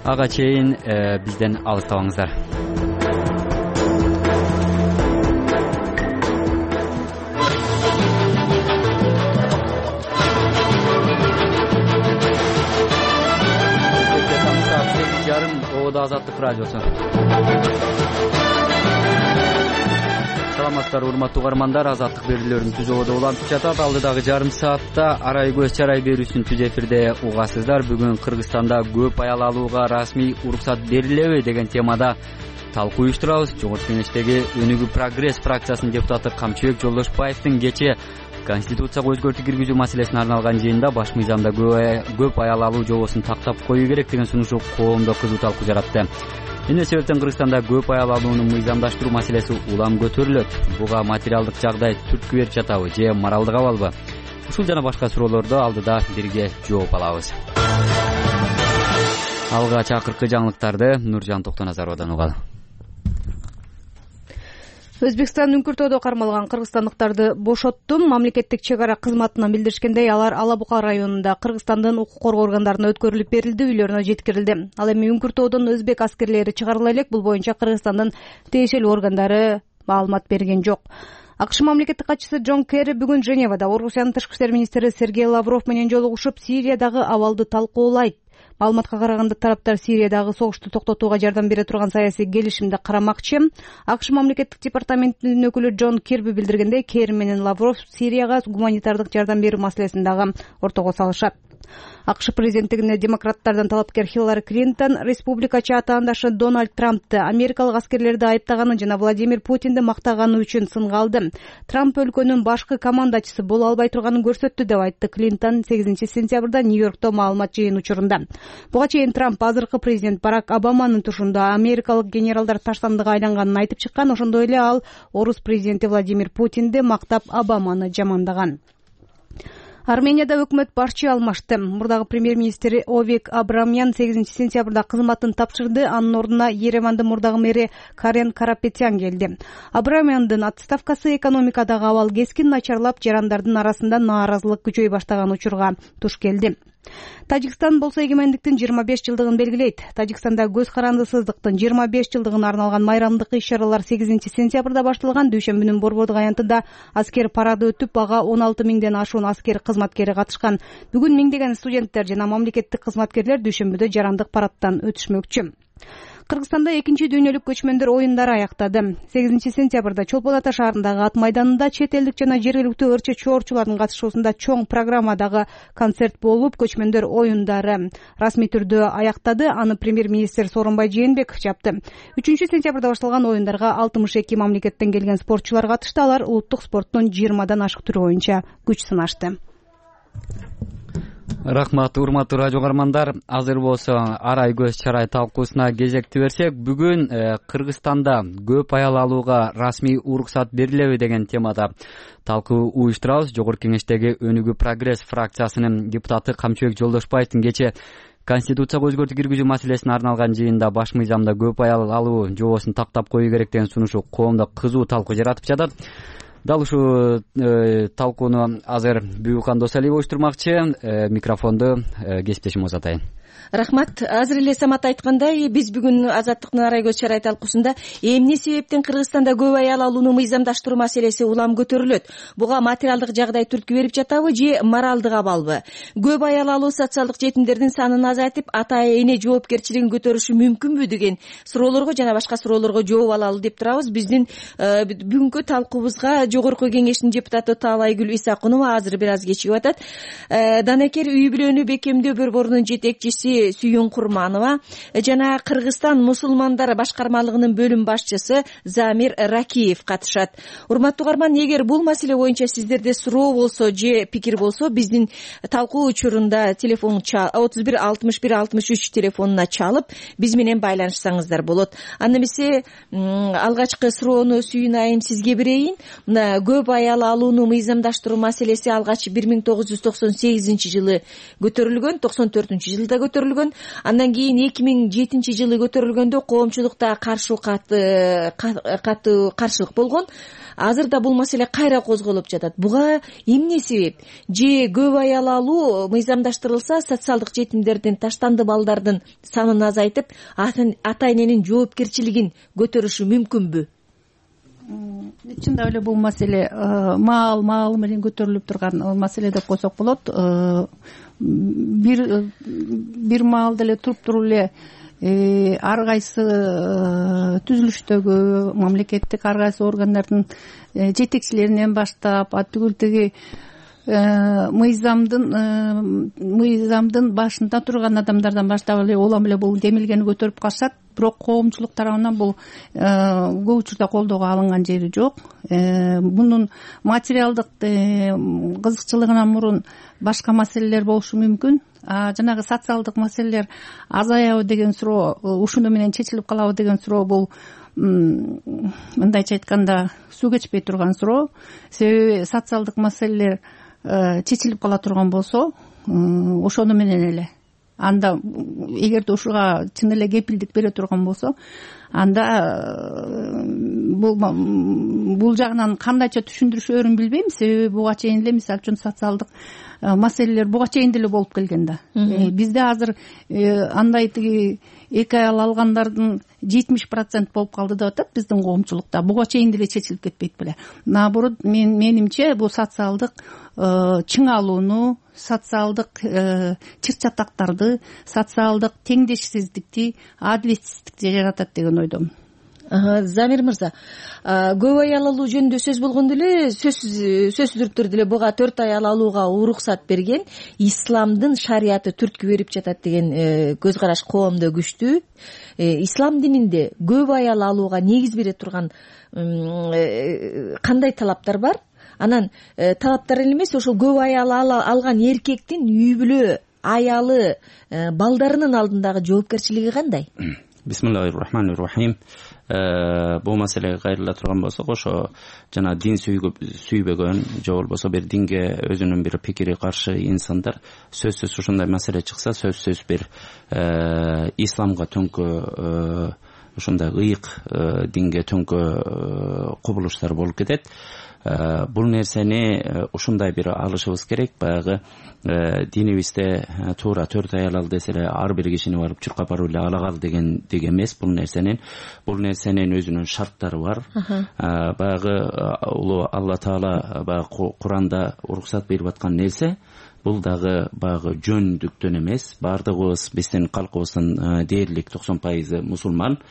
Ага чейин бизден алыстабаңыздар. Азаттык радиосу. Саламаттар, урматтуу каармандар. Азаттык берүүлөрүн түз ободо улантып жатат. Алдыдагы жарым саатта арай көз чарай берүүсүн түз эфирде угасыздар. Бүгүн Кыргызстанда көп аял алууга расмий уруксат берилеби деген темада талкуу уюштурабыз. Жогорку Кеңештеги Өнүгүү прогресс фракциясынын депутаты Камчыбек Жолдошбаевдин кечээ Конституцияга өзгөртүү киргизүү маселесине арналган жыйында баш мыйзамда көп аял алуу жобосун тактап коюу керек деген сунушу коомдо кызуу талкуу жаратты. Эмне себептен Кыргызстанда көп аял алууну мыйзамдаштыруу маселеси улам көтөрүлөт? Буга материалдык жагдай түрткү берип жатабы же моралдык абалбы? Ушул жана башка суроолорду алдыда бирге жооп алабыз. Алгач акыркы жаңылыктарды Нуржан Токтоназаровдон угалы. Өзбекстан Үңкүртөдө кармалган кыргызстандыктарды бошоттум. Мамлекеттик чек ара кызматынан билдиришкендей, алар Ала Бука районунда Кыргызстандын укук коргоо органдарына өткөрүлүп берилди, үйлөрүнө жеткирилди. Ал эми Үңкүртөдөн өзбек аскерлери чыгарыла элек. Бул боюнча Кыргызстандын тиешелүү органдары маалымат берген жок. АКШ мамлекеттик катчысы Джон Керри бүгүн Женевада Орусиянын тышкы иштер министри Сергей Лавров менен жолугушуп, Сириядагы абалды талкуулайт. Маалыматка караганда тараптар Сириядагы согушту токтотууга жардам бере турган саясий келишимди карамакчы. АКШ мамлекеттик департаментинин өкүлү Джон Кирби билдиргендей, Керри менен Лавров Сирияга гуманитардык жардам берүү маселесин дагы ортого салышат. АКШ президенттигине демократтардан талапкер Хиллари Клинтон республикачы атаандашы Дональд Трампты америкалык аскерлерди айыптаганы жана Владимир Путинди мактаганы үчүн сынга алды. Трамп өлкөнүн башкы командачысы боло албай турганын көрсөттү деп айтты Клинтон сегизинчи сентябрда Нью-Йоркто маалымат жыйын учурунда. Буга чейин Трамп азыркы президент Барак Обаманын тушунда америкалык генералдар таштандыга айланганын айтып чыккан. Ошондой эле ал орус президенти Владимир Путинди мактап Обаманы жамандаган. Арменияда өкмөт башчы алмашты. Мурдагы премьер-министр Овик Абрамян сегизинчи сентябрда кызматын тапшырды. Анын ордуна Еревандын мурдагы мэри Карен Карапетян келди. Абрамяндын отставкасы экономикадагы абал кескин начарлап, жарандардын арасында нааразылык күчөй баштаган учурга туш келди. Тажикстан болсо эгемендиктин жыйырма беш жылдыгын белгилейт. Тажикстанда көз карандысыздыктын жыйырма беш жылдыгына арналган майрамдык иш-чаралар сегизинчи сентябрда башталган. Дүйшөмбүнүн Борбордук аянтында аскер парады өтүп, ага он алты миңден ашуун аскер кызматкери катышкан. Бүгүн миңдеген студенттер жана мамлекеттик кызматкерлер Дүйшөмбүдө жарандык парадтан өтүшмөкчү. Кыргызстанда экинчи дүйнөлүк көчмөндөр оюндары аяктады. сегизинчи сентябрда Чолпон Ата шаарындагы ат майданында чет элдик жана жергиликтүү ырчы чоорчулардын катышуусунда чоң программадагы концерт болуп, көчмөндөр оюндары расмий түрдө аяктады. Аны премьер-министр Сооронбай Жээнбеков жапты. үчүнчү сентябрда башталган оюндарга алтымыш эки мамлекеттен келген спортчулар катышты. Алар улуттук спорттун жыйырмадан ашык түрү боюнча күч сынашты. Рахмат, урматтуу радио каармандар. Азыр болсо арай көз чарай талкуусуна кезекти берсек, бүгүн Кыргызстанда көп аял алууга расмий уруксат берилеби деген темада талкуу уюштурабыз. Жогорку Кеңештеги Өнүгүү прогресс фракциясынын депутаты Камчыбек Жолдошбаевдин кечээ Конституцияга өзгөртүү киргизүү маселесине арналган жыйында баш мыйзамда көп аял алуу жобосун тактап коюу керек деген сунушу коомдо кызуу талкуу жаратып жатат. Дал ушул э, талкууну азыр Бүйүкхан Досалиева уюштурмакчы. э, микрофонду э, кесиптешим узатайын. Рахмат. Азыр эле Самат айткандай, биз бүгүн Азаттыктын арай көз чарай талкуусунда эмне себептен Кыргызстанда көп аял алууну мыйзамдаштыруу маселеси улам көтөрүлөт? Буга материалдык жагдай түрткү берип жатабы же моралдык абалбы? Көп аял алуу социалдык жетимдердин санын азайтып, ата эне жоопкерчилигин көтөрүшү мүмкүнбү деген суроолорго жана башка суроолорго жооп алалы деп турабыз. Биздин бүгүнкү талкуубузга Жогорку Кеңештин депутаты Таалайгүл Исакунова азыр бир аз кечигип атат. Данекер үй бүлөнү бекемдөө борборунун жетекчиси мамлекетчиси Сүйүн Курманова жана Кыргызстан мусулмандар башкармалыгынын бөлүм башчысы Замир Ракиев катышат. Урматтуу угарман, эгер бул маселе боюнча сиздерде суроо болсо же пикир болсо, биздин талкуу учурунда телефон отуз бир алтымыш бир алтымыш үч телефонуна чалып биз менен байланышсаңыздар болот. Анда эмесе алгачкы суроону Сүйүн айым сизге берейин. Мына көп аял алууну мыйзамдаштыруу маселеси алгач бир миң тогуз жүз токсон сегизинчи жылы көтөрүлгөн, токсон төртүнчү жылда көтөрүлгөн. Андан кийин эки миң жетинчи жылы көтөрүлгөндө коомчулукта каршы катуу каршылык болгон. Азырда бул маселе кайра козголуп жатат. Буга эмне себеп? Же көп аял алуу мыйзамдаштырылса, социалдык жетимдердин, таштанды балдардын санын азайтып, ата-эненин жоопкерчилигин көтөрүшү мүмкүнбү? Чындап эле бул маселе маал маал менен көтөрүлүп турган маселе деп койсок болот. Бир бир маалда эле туруп туруп эле ар кайсы түзүлүштөгү мамлекеттик ар кайсы органдардын жетекчилеринен баштап атүгүл тиги мыйзамдын мыйзамдын башында турган адамдардан баштап эле улам эле бул демилгени көтөрүп калышат. Бирок коомчулук тарабынан бул көп учурда колдоого алынган жери жок. Мунун материалдык кызыкчылыгынан мурун башка маселелер болушу мүмкүн. Жанагы социалдык маселелер азаябы деген суроо, ушуну менен чечилип калабы деген суроо бул мындайча айтканда суу кечпей турган суроо. Себеби социалдык маселелер чечилип кала турган болсо, ошону менен эле анда эгерде ушуга чын эле кепилдик бере турган болсо, анда бул бул жагынан кандайча түшүндүрүшөөрүн билбейм. Себеби буга чейин эле мисалы үчүн социалдык маселелер буга чейин деле болуп келген да. Бизде азыр андай тиги эки аял алгандардын жетимиш процент болуп калды деп атат биздин коомчулукта. Буга чейин деле чечилип кетпейт беле. Наоборот, мен менимче бул социалдык чыңалууну, социалдык чыр-чатактарды, социалдык теңдешсиздикти, адилетсиздикти жаратат деген ойдомун. Замир мырза, көп аял алуу жөнүндө сөз болгондо эле сөзсүздүк түрдө эле буга төрт аял алууга уруксат берген исламдын шарияты түрткү берип жатат деген көз караш коомдо күчтүү. Ислам дининде көп аял алууга негиз бере турган кандай талаптар бар? Анан талаптар эле эмес, ошол көп аял алган эркектин үй бүлө, аялы, балдарынын алдындагы жоопкерчилиги кандай? Бисмиллахир-рахманир-рахим. Бул маселеге кайрыла турган болсок, ошо жана дин сүйбөгөн же болбосо бир динге өзүнүн бир пикири каршы инсандар сөзсүз ушундай маселе чыкса, сөзсүз бир исламга төңкө ушундай ыйык динге төңкө кубулуштар болуп кетет. Бул нерсени ушундай бир алышыбыз керек. Баягы динибизде туура төрт аял ал десе эле ар бир кишини барып чуркап барып эле ала кал деген деги эмес. Бул нерсенин бул нерсенин өзүнүн шарттары бар. Баягы улуу Алла Таала баягы Куранда уруксат берип аткан нерсе бул дагы баягы жөндүктөн эмес. Бардыгыбыз биздин калкыбыздын дээрлик токсон пайызы мусулман.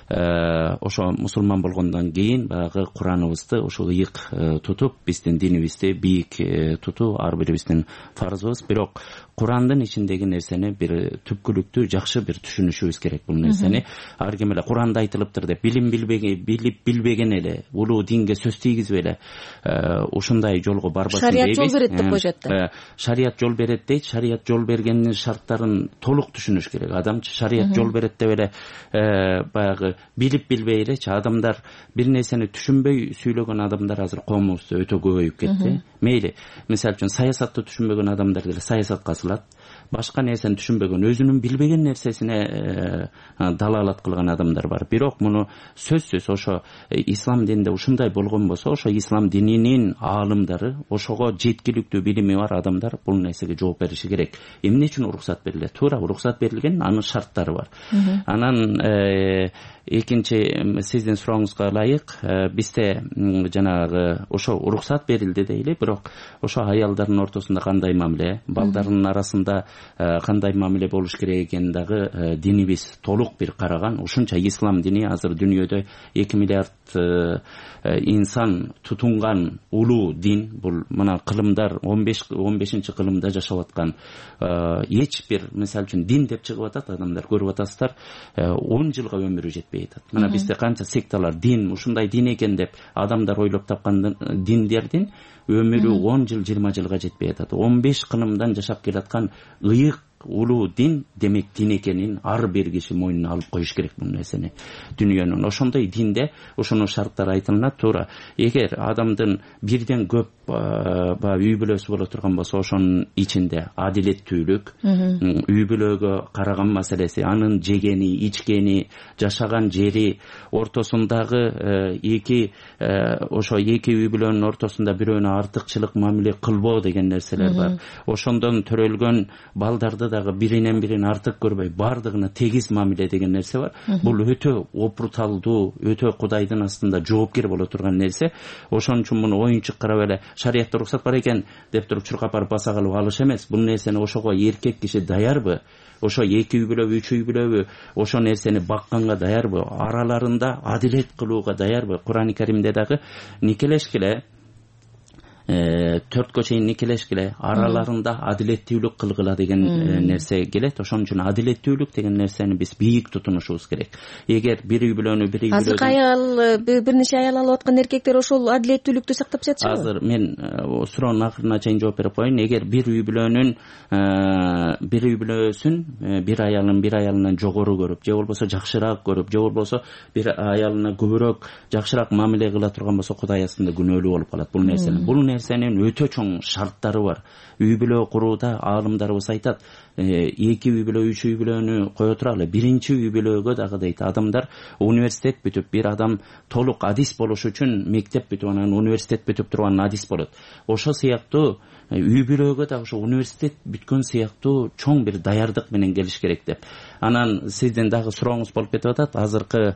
Ошо мусулман болгондон кийин баягы Кураныбызды ушул ыйык тутуп, биздин динибизди бийик тутуу ар бирибиздин фарзыбыз. Бирок Курандын ичиндеги нерсени бир түпкүлүктүү жакшы бир түшүнүшүбүз керек. Бул нерсени ар ким эле Куранда айтылыптыр деп билим билбеген, билип билбеген эле улуу динге сөз тийгизбей эле ушундай жолго барбасын дейбиз. Шарият жол берет деп коюшат да. Шарият жол берет дейт. Шарият жол бергендин шарттарын толук түшүнүш керек. Адам шарият жол берет деп эле баягы билип билбей элечи адамдар бир нерсени түшүнбөй сүйлөгөн адамдар азыр коомубузда өтө көбөйүп кетти. Мейли, мисалы үчүн саясатты түшүнбөгөн адамдар деле саясатка асылат. Башка нерсени түшүнбөгөн, өзүнүн билбеген нерсесине далалат кылган адамдар бар. Бирок муну сөзсүз ошо ислам дининде ушундай болгон болсо, ошо ислам дининин аалымдары, ошого жеткиликтүү билими бар адамдар бул нерсеге жооп бериши керек. Эмне үчүн уруксат берилет? Туура уруксат берилген, анын шарттары бар. Анан экинчи сиздин сурооңузга ылайык, бизде жанагы ошо уруксат берилди дейли, бирок ошо аялдардын ортосунда кандай мамиле, балдарынын арасында кандай мамиле болуш керек экенин дагы динибиз толук бир караган. Ушунча ислам дини азыр дүйнөдө эки миллиард инсан тутунган улуу дин. Бул мына кылымдар он беш он бешинчи кылымда жашап аткан эч бир, мисалы үчүн дин деп чыгып атат адамдар, көрүп атасыздар, он жылга өмүрү жетпей атат. Мына бизде канча секталар, дин, ушундай дин экен деп адамдар ойлоп тапкан диндердин өмүрү он жыл, жыйырма жылга жетпей атат. он беш кылымдан жашап келаткан ыйык улуу дин, демек дин экенин ар бир киши мойнуна алып коюш керек бул нерсени. Дүйнөнүн ошондой динде ушунун шарттары айтылат. Туура, эгер адамдын бирден көп баягы үй бүлөсү боло турган болсо, ошонун ичинде адилеттүүлүк, үй бүлөгө караган маселеси, анын жегени, ичкени, жашаган жери, ортосундагы эки ошо эки үй бүлөнүн ортосунда бирөөнө артыкчылык мамиле кылбоо деген нерселер бар. Ошондон төрөлгөн балдарды дагы биринен бирин артык көрбөй, бардыгына тегиз мамиле деген нерсе бар. Бул өтө опурталдуу, өтө Кудайдын астында жоопкер боло турган нерсе. Ошон үчүн муну оюнчук карап эле шариятта уруксат бар экен деп туруп чуркап барып баса калып алыш эмес. Бул нерсени ошого эркек киши даярбы? Ошо эки үй бүлөбү, үч үй бүлөбү ошо нерсени бакканга даярбы? Араларында адилет кылууга даярбы? Кур'ан-ы Каримде дагы никелешкиле, төрткө чейин никелешкиле, араларында адилеттүүлүк кылгыла деген нерсе келет. Ошон үчүн адилеттүүлүк деген нерсени биз бийик тутунушубуз керек. Эгер бир үй бүлөнү бир үй бүлө азыр аял, бир нече аял алып аткан эркектер ошол адилеттүүлүктү сактап жатышабы? Азыр мен суроонун акырына чейин жооп берип коеюн. Эгер бир үй бүлөнүн бир үй бүлөсүн бир аялын бир аялынан жогору көрүп, же болбосо жакшыраак көрүп, же болбосо бир аялына көбүрөөк жакшыраак мамиле кыла турган болсо, Кудай астында күнөөлүү болуп калат бул нерсени. Бул нерсенин өтө чоң шарттары бар. Үй бүлө курууда аалымдарыбыз айтат, эки үй бүлө, үч үй бүлөнү кое туралы, биринчи үй бүлөгө дагы дейт, адамдар университет бүтүп, бир адам толук адис болуш үчүн мектеп бүтүп, анан университет бүтүп турган адис болот. Ошо сыяктуу үй бүлөгө да ошо университет бүткөн сыяктуу чоң бир даярдык менен келиш керек деп. Анан сиздин дагы сурооңуз болуп кетип атат, азыркы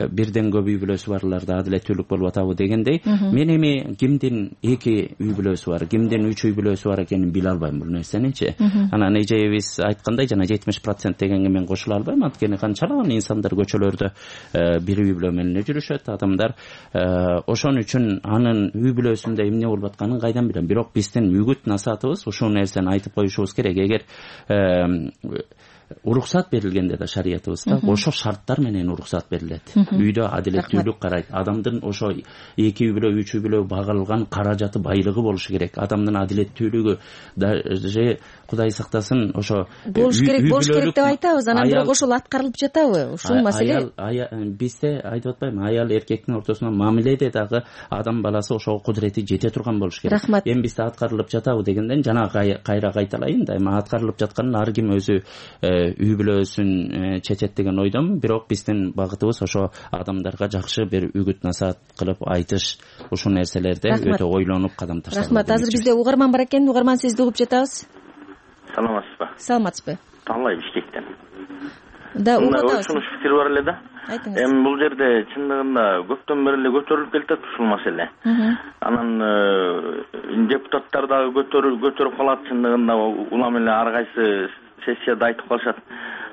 бирден көп үй бүлөсү барларда адилеттүүлүк болуп атабы дегендей. Мен эми кимдин эки үй бүлөсү бар, кимдин үч үй бүлөсү бар экенин биле албайм бул нерсеничи. Анан эжебиз айткандай, жана жетимиш процент дегенге мен кошула албайм. Анткени канчалаган инсандар көчөлөрдө бир үй бүлө менен жүрүшөт адамдар. Ошон үчүн анын үй бүлөсүндө эмне болуп атканын кайдан билем. Бирок биздин үгүт насаатыбыз ушул нерсени айтып коюшубуз керек. Эгер уруксат берилгенде да шариятыбызда ошо шарттар менен уруксат берилет. Үйдө адилеттүүлүк карайт. Адамдын ошо эки үй бүлө, үч үй бүлө багылган каражаты, байлыгы болушу керек. Адамдын адилеттүүлүгү же Кудай сактасын ошо болуш керек, болуш керек деп айтабыз. Анан бирок ошол аткарылып жатабы? Ушул маселе бизде айтып атпаймынбы, аял эркектин ортосунда мамиледе дагы адам баласы ошого кудурети жете турган болуш керек. Эми бизде аткарылып жатабы дегенден жана кайра кайталайын да, эми аткарылып жатканын ар ким өзү үй бүлөсүн чечет деген ойдомун. Бирок биздин багытыбыз ошо адамдарга жакшы бир үгүт насаат кылып айтыш, ушул нерселерде өтө ойлонуп кадам ташташ. Рахмат. Азыр бизде угарман бар экен. Угарман, сизди угуп жатабыз. Саламатсызбы? Саламатсызбы? Таалай Бишкектен. Да, угуп атабыз. Ушуну фикир бар эле да. Айтыңыз. Эми бул жерде чындыгында көптөн бери эле көтөрүлүп келатат ушул маселе. Анан депутаттар дагы көтөрүп көтөрүп калат, чындыгында улам эле ар кайсы сессияда айтып калышат.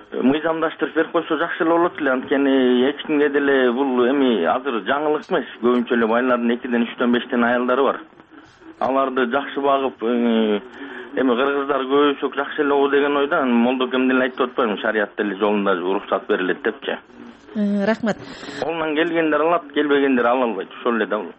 Мыйзамдаштырып берип койсо жакшы эле болот эле. Анткени эч кимге деле бул эми азыр жаңылык эмес. Көбүнчө эле байлардын экиден, үчтөн, бештен аялдары бар. Аларды жакшы багып, эми кыргыздар көбүсү жакшы эле о деген ойда, молдокем деле айтып атпаймынбы, шарият деле жолунда уруксат берилет депчи. Рахмат. Колунан келгендер алат, келбегендер ала албайт. Ошол эле да бул.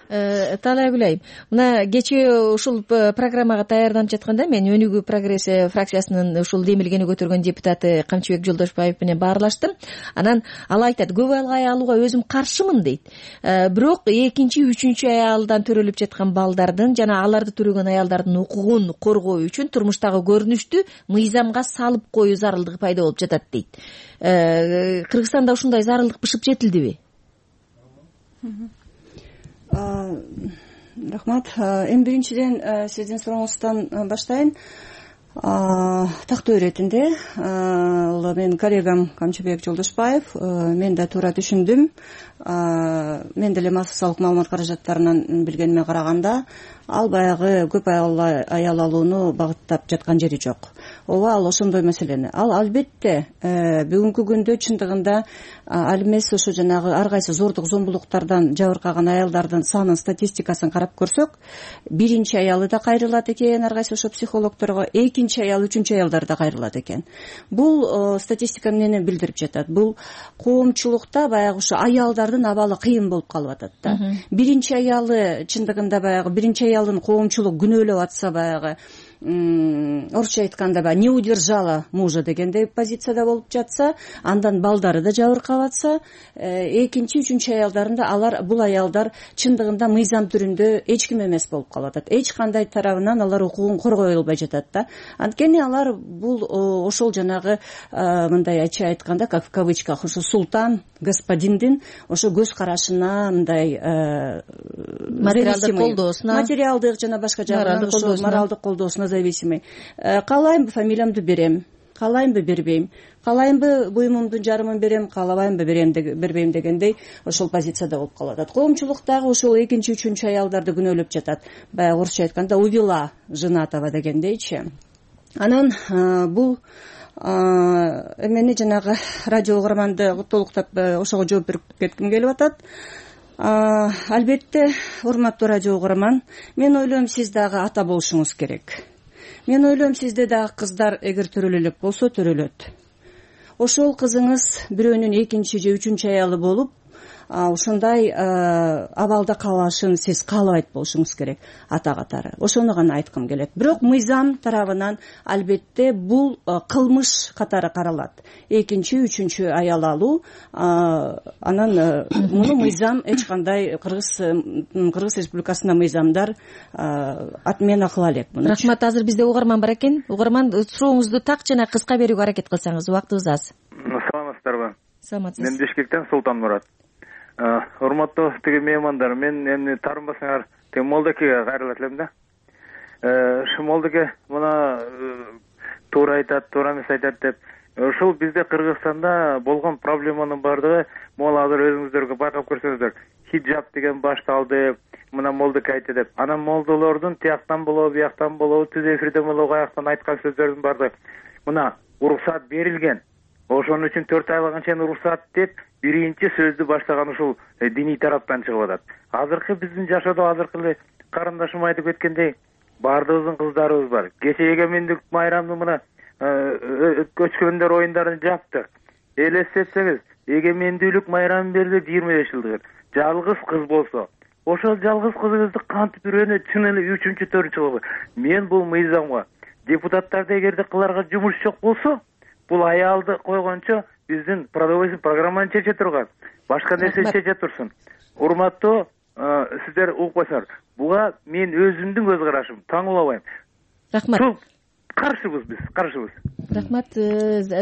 Таалай Гүлайым, мына кечээ ушул программага даярданып жатканда мен Өнүгүү прогресс фракциясынын ушул демилгени көтөргөн депутаты Камчыбек Жолдошбаев менен баарлаштым. Анан ал айтат, көп аял алууга өзүм каршымын дейт. Бирок экинчи, үчүнчү аялдан төрөлүп жаткан балдардын жана аларды төрөгөн аялдардын укугун коргоо үчүн турмуштагы көрүнүштү мыйзамга салып коюу зарылдыгы пайда болуп жатат дейт. Кыргызстанда ушундай зарылдык бышып жетилдиби? Рахмат. Эми биринчиден сиздин сурооңуздан баштайын. тактоо иретинде ал менин коллегам Камчыбек Жолдошбаев, мен да туура түшүндүм. Мен деле массалык маалымат каражаттарынан билгениме караганда ал баягы көп аял алууну багыттап жаткан жери жок. Ооба, ал ошондой маселени. Ал албетте бүгүнкү күндө чындыгында ал эмес ошо жанагы ар кайсы зордук зомбулуктардан жабыркаган аялдардын санын, статистикасын карап көрсөк, биринчи аялы да кайрылат экен ар кайсы ошо психологдорго, экинчи аял, үчүнчү аялдар да кайрылат экен. Бул статистика эмнени билдирип жатат? Бул коомчулукта баягы ошо аялдардын абалы кыйын болуп калып атат да. Биринчи аялы чындыгында баягы биринчи аялын коомчулук күнөөлөп атса, баягы орусча айтканда баягы не удержала мужа дегендей позицияда болуп жатса, андан балдары да жабыркап атса, экинчи, үчүнчү аялдарында алар бул аялдар чындыгында мыйзам түрүндө эч ким эмес болуп калып атат. Эч кандай тарабынан алар укугун коргой албай жатат да. Анткени алар бул ошол жанагы мындай ачык айтканда, как в кавычках, ошо султан господиндин ошо көз карашына, мындай материалдык колдоосуна, материалдык жана башка жагынан ошо моралдык колдоосуна зависимый. Каалаймбы фамилиямды берем, каалаймбы бербейм, каалаймбы буюмумдун жарымын берем, каалабаймбы бербейм дегендей ошол позицияда болуп калып атат. Коомчулук дагы ошол экинчи, үчүнчү аялдарды күнөөлөп жатат. Баягы орусча айтканда увела женатого дегендейчи. Анан бул эмени жанагы радио угарманды толуктап ошого жооп берип кетким келип атат. Албетте, урматтуу радио угарман, мен ойлойм, сиз дагы ата болушуңуз керек. Мен ойлойм, сизде дагы кыздар эгер төрөлө элек болсо төрөлөт. Ошол кызыңыз бирөөнүн экинчи же үчүнчү аялы болуп, ушундай абалда калышын сиз каалабайт болушуңуз керек ата катары. Ошону гана айткым келет. Бирок мыйзам тарабынан албетте бул кылмыш катары каралат. Экинчи, үчүнчү аял алуу, анан муну мыйзам эч кандай Кыргыз Кыргыз Республикасында мыйзамдар отмена кыла элек. Рахмат. Азыр бизде угарман бар экен. Угарман, сурооңузду так жана кыска берүүгө аракет кылсаңыз, убактыбыз аз. Саламатсыздарбы? Саламатсыз. Мен Бишкектен Султан Мурат. Урматтуу тиги меймандар, мен эмне таарынбасаңар тиги Молдокеге кайрылат элем да. Ушу Молдоке мына туура айтат, туура эмес айтат деп. Ушул бизде Кыргызстанда болгон проблеманын бардыгы, могу азыр өзүңүздөргө байкап көрсөңүздөр, хиджаб деген башталды, мына Молдоке айтты деп. Анан молдолордун тияктан болобу, бияктан болобу, түз эфирден болобу, аяктан айткан сөздөрдүн бардыгы мына уруксат берилген. Ошон үчүн төрт айга чейин уруксат деп биринчи сөздү баштаган ушул диний тараптан чыгып атат. Азыркы биздин жашоодо азыркы эле карындашым айтып кеткендей, баардыгыбыздын кыздарыбыз бар. Кече эгемендик майрамды мына көчкөндөр оюндарын жаптык. Элестетсеңиз, эгемендүүлүк майрамы берди жыйырма беш жылдык. Жалгыз кыз болсо, ошол жалгыз кызыңызды кантип бирөөнө чын эле үчүнчү, төртүнчү кылып. Мен бул мыйзамга депутаттарды эгерде кыларга жумуш жок болсо, бул аялды койгончо биздин продовольственный программаны чече турган, башка нерсе чече турсун. Урматтуу сиздер угуп койсоңор, буга мен өзүмдүн көз карашым, таңуулабайм. Рахмат. Каршыбыз биз, каршыбыз. Рахмат.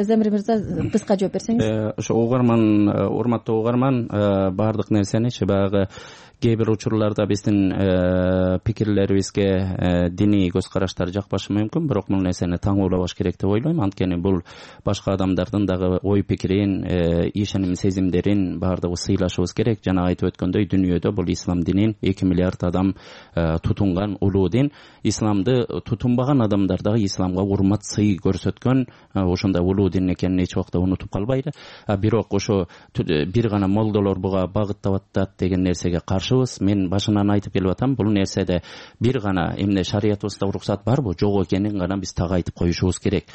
Замир мырза, кыска жооп берсеңиз. Ошо угарман, урматтуу угарман, баардык нерсеничи баягы кээ бир учурларда биздин пикирлерибизге диний көз караштар жакпашы мүмкүн, бирок бул нерсени таңуулабаш керек деп ойлойм. Анткени бул башка адамдардын дагы ой пикирин, ишеним сезимдерин баардыгы сыйлашыбыз керек. Жана айтып өткөндөй, дүйнөдө бул ислам динин эки миллиард адам тутунган улуу дин. Исламды тутунбаган адамдар дагы исламга урмат, сый көрсөткөн ошондой улуу дин экенин эч убакта унутуп калбайлы. Бирок ошо бир гана молдолор буга багыттап атат деген нерсеге каршы. Мен башынан айтып келип атам, бул нерседе бир гана эмне шариятыбызда уруксат барбы, жок экенин гана биз так айтып коюшубуз керек.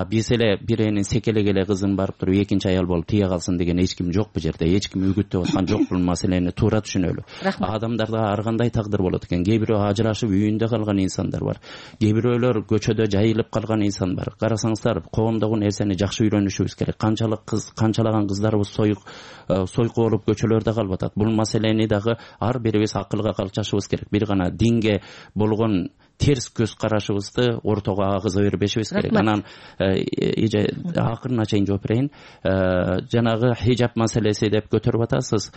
Биз эле бирөөнүн секелек эле кызын барып туруп экинчи аял болуп тие калсын деген эч ким жок бул жерде. Эч ким үгүттөп аткан жок, бул маселени туура түшүнөлү. Адамдарда ар кандай тагдыр болот экен. Кээ бирөө ажырашып үйүндө калган инсандар бар. Кээ бирөөлөр көчөдө жайылып калган инсан бар. Карасаңыздар, коомдогу нерсени жакшы үйрөнүшүбүз керек. Канчалык кыз, канчалаган кыздарыбыз союк сойку болуп көчөлөрдө калып атат. Бул маселени дагы ар бирибиз акылга калчашыбыз керек. Бир гана динге болгон терс көз карашыбызды ортого агыза бербешибиз керек. Анан эже акырына чейин жооп берейин. Жанагы хижап маселеси деп көтөрүп атасыз.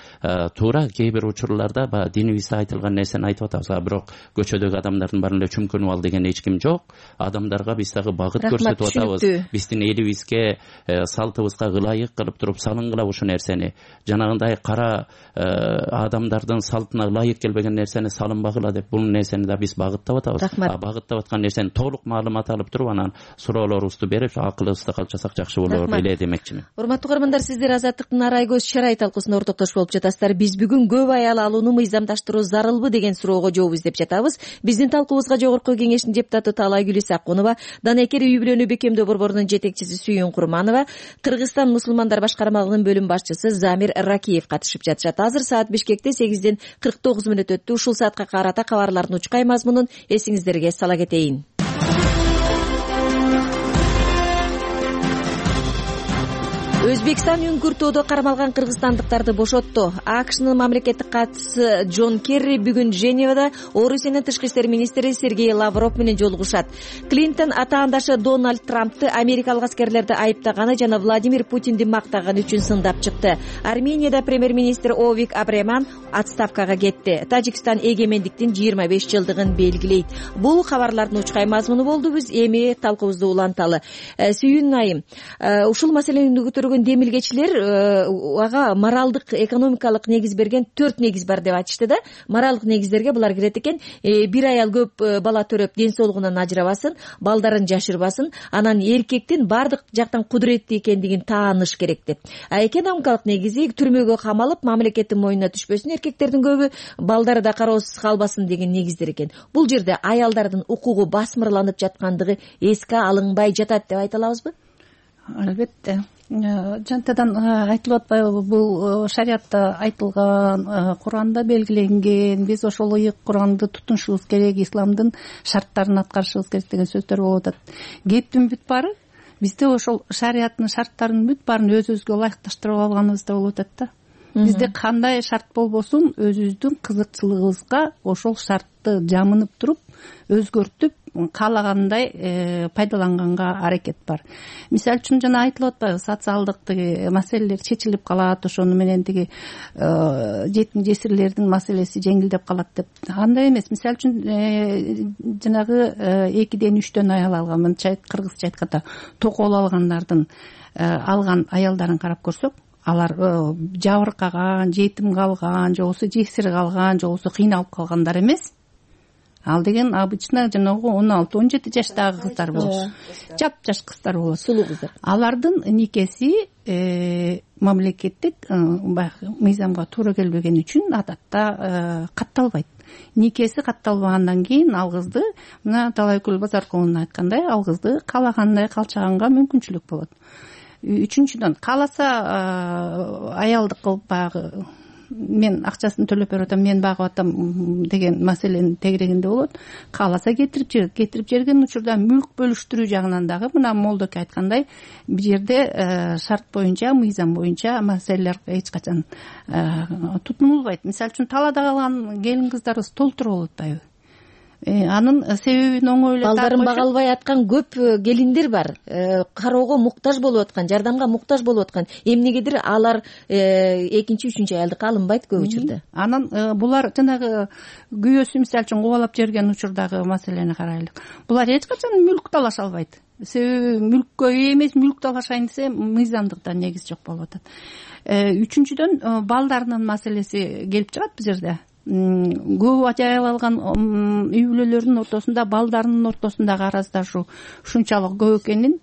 Туура, кээ бир учурларда баягы динибизде айтылган нерсени айтып атабыз. А бирок көчөдөгү адамдардын баарын эле чүмкөнүп ал деген эч ким жок. Адамдарга биз дагы багыт көрсөтүп атабыз. Биздин элибизге, салтыбызга ылайык кылып туруп салынгыла ушул нерсени. Жанагындай кара адамдардын салтына ылайык келбеген нерсени салынбагыла деп бул нерсени да биз багыттап атабыз. Багыттап аткан нерсени толук маалымат алып туруп анан суроолорубузду берип акылыбызды калтчасак жакшы болор эле демекчимин. Урматтуу көрөрмандар, сиздер Азаттыктын Арай көз чарай талкуусунда ортоктош болуп жатасыздар. Биз бүгүн көп аял алууну мыйзамдаштыруу зарылбы деген суроого жооп издеп жатабыз. Биздин талкуубузга Жогорку Кеңештин депутаты Таалайгүл Исакунова, Данекер үй бүлөнү бекемдөө борборунун жетекчиси Сүйүн Курманова, Кыргызстан мусулмандар башкармалыгынын бөлүм башчысы Замир Ракиев катышып жатышат. Азыр саат Бишкекте сегизден кырк тогуз мүнөт өттү. Ушул саатка карата кабарлардын учкай мазмунун эсиңиздерге сала кетейин. Өзбекстан үңкүртүүдө кармалган кыргызстандыктарды бошотту. АКШнын мамлекеттик катчысы Джон Керри бүгүн Женевада Орусиянын тышкы иштер министри Сергей Лавров менен жолугушат. Клинтон атаандашы Дональд Трампты америкалык аскерлерди айыптаганы жана Владимир Путинди мактаганы үчүн сындап чыкты. Арменияда премьер-министр Овик Абреман отставкага кетти. Тажикстан эгемендиктин жыйырма беш жылдыгын белгилейт. Бул кабарлардын учкай мазмуну болду. Биз эми талкуубузду уланталы. Сүйүн айым, ушул маселени көтөргөн демилгечилер ага моралдык, экономикалык негиз берген төрт негиз бар деп айтышты да. Моралдык негиздерге булар кирет экен. Бир аял көп бала төрөп ден соолугунан ажырабасын, балдарын жашырбасын, анан эркектин бардык жактан кудуреттүү экендигин тааныш керек деп. А экономикалык негизи түрмөгө камалып, мамлекеттин мойнуна түшпөсүн, эркектердин көбү балдары да кароосуз калбасын деген негиздер экен. Бул жерде аялдардын укугу басмырланып жаткандыгы эске алынбай жатат деп айта алабызбы? Албетте. Жантадан айтылып атпайбы, бул шариатта айтылган, Куранда белгиленген, биз ошол ыйык Куранды тутунушубуз керек, исламдын шарттарын аткарышыбыз керек деген сөздөр болуп атат. Кептин бүт баары бизде ошол шариаттын шарттарынын бүт баарын өзүбүзгө ылайыкташтырып алганыбызда болуп атат да. Бизде кандай шарт болбосун, өзүбүздүн кызыкчылыгыбызга ошол шартты жамынып туруп, өзгөртүп, каалагандай пайдаланганга аракет бар. Мисалы үчүн жана айтылып атпайбы, социалдык тиги маселелер чечилип калат, ошону менен тиги жетим жесирлердин маселеси жеңилдеп калат деп. Андай эмес. Мисалы үчүн жанагы экиден үчтөн аял алган, мынча кыргызча айтканда токол алгандардын алган аялдарын карап көрсөк, алар жабыркаган, жетим калган, же болбосо жесир калган, же болбосо кыйналып калгандар эмес. Ал деген обычно жанагы он алты он жети жаштагы кыздар болот. Жап-жаш кыздар болот. Сулуу кыздар. Алардын никеси мамлекеттик мыйзамга туура келбеген үчүн адатта катталбайт. Никеси катталбагандан кийин ал кызды, мына Талайкүл Базаркуловдун айткандай, ал кызды каалагандай калчаганга мүмкүнчүлүк болот. Үчүнчүдөн, кааласа аялдык кылып баягы мен акчасын төлөп берип атам, мен багып атам деген маселенин тегерегинде болот. Кааласа кетирип жер, кетирип жерген учурда мүлк бөлүштүрүү жагынан дагы мына Молдоке айткандай, бул жерде шарт боюнча, мыйзам боюнча маселелер эч качан тутунулбайт. Мисалы үчүн талаада калган келин кыздарыбыз толтура болуп атпайбы? Анын себебин оңойлоп балдарын бага албай аткан көп келиндер бар. Кароого муктаж болуп аткан, жардамга муктаж болуп аткан. Эмнегедир алар экинчи, үчүнчү аялдыкка алынбайт көп учурда. Анан булар жанагы күйөөсү мисалы үчүн кубалап жиберген учурдагы маселени карайлык. Булар эч качан мүлк талаша албайт. Себеби мүлккө ээ эмес, мүлк талашайын десе мыйзамдыкта негиз жок болуп атат. Үчүнчүдөн балдарынын маселеси келип чыгат бул жерде. Көп аял алган үй бүлөлөрдүн ортосунда, балдарынын ортосундагы араздашуу ушунчалык көп экенин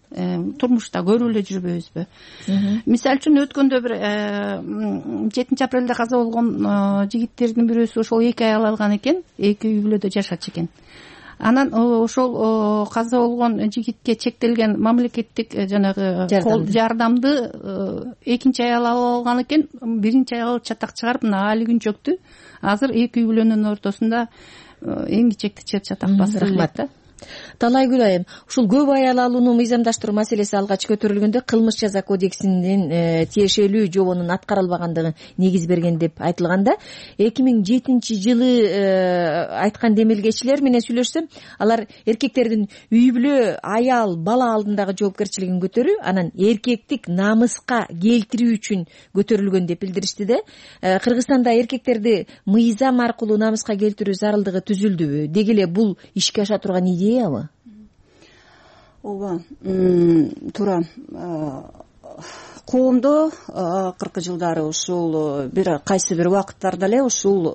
турмушта көрүп эле жүрбөйбүзбү? Мисалы үчүн өткөндө бир жетинчи апрелде каза болгон жигиттердин бирөөсү ошол эки аял алган экен, эки үй бүлөдө жашачу экен. Анан ошол каза болгон жигитке чектелген мамлекеттик жанагы кол жардамды экинчи аял алып алган экен, биринчи аял чатак чыгарып, мына али күн чөктү. Азыр эки үй бүлөнүн ортосунда эң кичекти чыр чатак басып элек да. талайгүл айым, ушул көп аял алууну мыйзамдаштыруу маселеси алгач көтөрүлгөндө кылмыш жаза кодексинин тиешелүү жобонун аткарылбагандыгы негиз берген деп айтылганда, эки миң жетинчи жылы айткан демилгечилер менен сүйлөшсөм, алар эркектердин үй бүлө, аял, бала алдындагы жоопкерчилигин көтөрүү, анан эркектик намыска келтирүү үчүн көтөрүлгөн деп билдиришти да. Кыргызстанда эркектерди мыйзам аркылуу намыска келтирүү зарылдыгы түзүлдүбү? Деги эле бул ишке аша турган идеябы? ооба, туура. Коомдо акыркы жылдары ушул бир кайсы бир убакыттарда эле ушул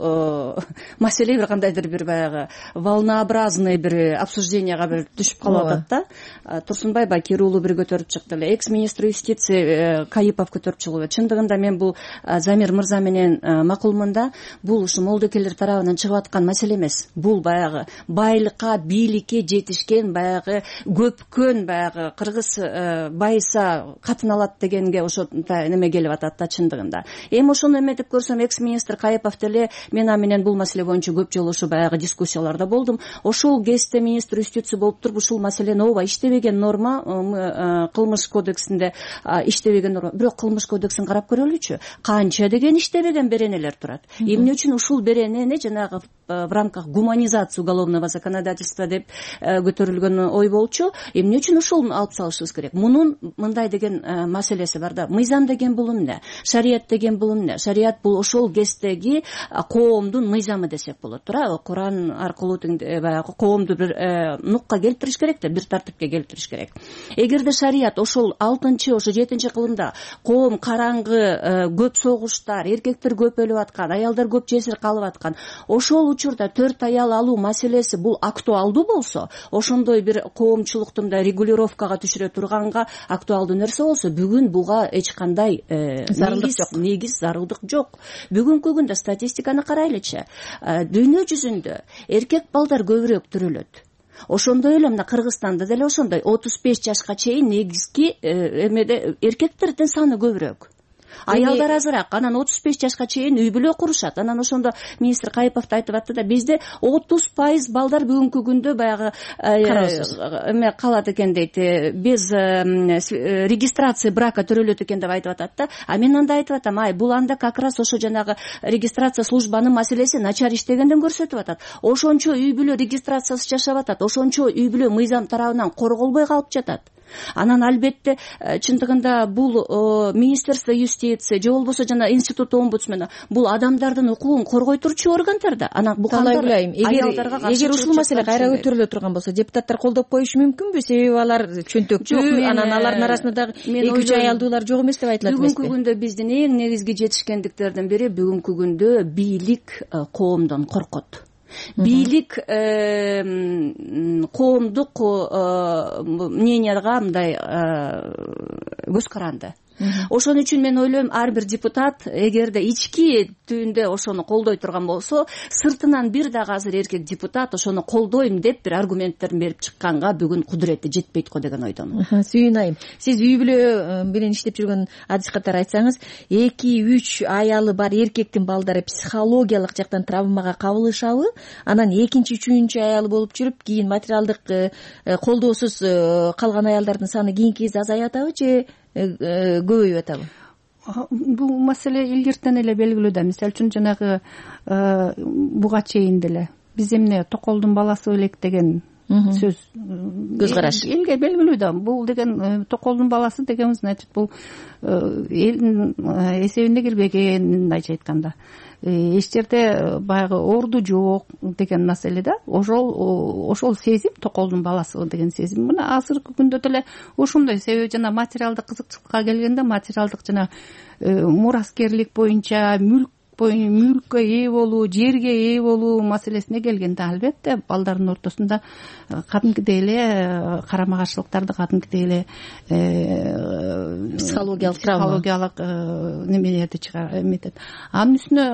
маселе бир кандайдыр бир баягы волнообразный бир обсужденияга бир түшүп калып атат да. Турсунбай Бакир уулу бир көтөрүп чыкты эле, экс министр юстиции Кайыпов көтөрүп чыгып. Чындыгында мен бул Замир мырза менен макулмун да, бул ушу молдокелер тарабынан чыгып аткан маселе эмес. Бул баягы байлыкка, бийликке жетишкен баягы көпкөн баягы кыргыз байыса катын алат дегенге ошо неме келип атат да чындыгында. Эми ошону эметип көрсөм, экс министр Кайыпов деле мен а менен бул маселе боюнча көп жолу ушу баягы дискуссияларда болдум. Ошол кезде министр юстиция болуп туруп ушул маселени ооба иштебеген норма кылмыш кодексинде иштебеген норма. Бирок кылмыш кодексин карап көрөлүчү. Канча деген иштебеген беренелер турат. Эмне үчүн ушул беренени жанагы в рамках гуманизации уголовного законодательства деп көтөрүлгөн ой болчу. Эмне үчүн ушул алып салышыбыз керек? Мунун мындай деген маселеси бар да. Мыйзам деген бул эмне? Шарият деген бул эмне? Шарият бул ошол кездеги коомдун мыйзамы десек болот. Туура, Куран аркылуу баягы коомду бир нукка келтириш керек да, бир тартипке келтириш керек. Эгерде шарият ошол алтынчы, ошо жетинчи кылымда коом караңгы, көп согуштар, эркектер көп өлүп аткан, аялдар көп жесир калып аткан, ошол учурда төрт аял алуу маселеси бул актуалдуу болсо, ошондой бир коомчулуктун да регулировкага түшүрө турганга актуалдуу нерсе болсо, бүгүн буга эч кандай зарылдык жок, негиз зарылдык жок. Бүгүнкү күндө статистиканы карайлычы, дүйнө жүзүндө эркек балдар көбүрөөк төрөлөт. Ошондой эле мына Кыргызстанда деле ошондой отуз беш жашка чейин негизги эмеде эркектердин саны көбүрөөк. Аялдар азыраак, анан отуз беш жашка чейин үй бүлө курушат. Анан ошондо министр Кайыпов да айтып атты да, бизде отуз пайыз балдар бүгүнкү күндө баягы эме калат экен дейт, без регистрация брака төрөлөт экен деп айтып атат да. А мен анда айтып атам, ай, бул анда как раз ошо жанагы регистрация службанын маселеси начар иштегенден көрсөтүп атат. Ошончо үй бүлө регистрациясыз жашап атат, ошончо үй бүлө мыйзам тарабынан корголбой калып жатат. Анан албетте чындыгында бул министерство юстиции же болбосо жана институт омбудсмена бул адамдардын укугун коргой турчу органдар да. Анан бул кандай аялдарга каршы, эгер ушул маселе кайра көтөрүлө турган болсо, депутаттар колдоп коюшу мүмкүнбү? Себеби алар чөнтөктүү, анан алардын арасында дагы эки үч аялдуулар жок эмес деп айтылат эмеспи? Бүгүнкү күндө биздин эң негизги жетишкендиктердин бири бүгүнкү күндө бийлик коомдон коркот. Бийлик коомдук мненияга мындай көз каранды. Ошон үчүн мен ойлойм, ар бир депутат эгерде ички түбүндө ошону колдой турган болсо, сыртынан бир дагы азыр эркек депутат ошону колдойм деп бир аргументтерин берип чыкканга бүгүн кудурети жетпейт го деген ойдомун. Сүйүн айым, сиз үй бүлө менен иштеп жүргөн адис катары айтсаңыз, эки үч аялы бар эркектин балдары психологиялык жактан травмага кабылышабы? Анан экинчи, үчүнчү аялы болуп жүрүп, кийин материалдык колдоосуз калган аялдардын саны кийинки кезде азайып атабы же көбөйүп атабы? Бул маселе илгертен эле белгилүү да. Мисалы үчүн жанагы буга чейин деле биз эмне токолдун баласы элек деген сөз, көз караш элге белгилүү да. Бул деген токолдун баласы дегенибиз, значит, бул элдин эсебине кирбеген, мындайча айтканда. Эч жерде баягы орду жок деген маселе да. Ошол ошол сезим, токолдун баласы деген сезим мына азыркы күндө деле ошондой. Себеби жана материалдык кызыкчылыкка келгенде, материалдык жана мураскерлик боюнча, мүлк мүлккө ээ болуу, жерге ээ болуу маселесине келгенде, албетте балдардын ортосунда кадимкидей эле карама каршылыктарды, кадимкидей эле психологиялык психологиялык немелерди чыгар эметет. Анын үстүнө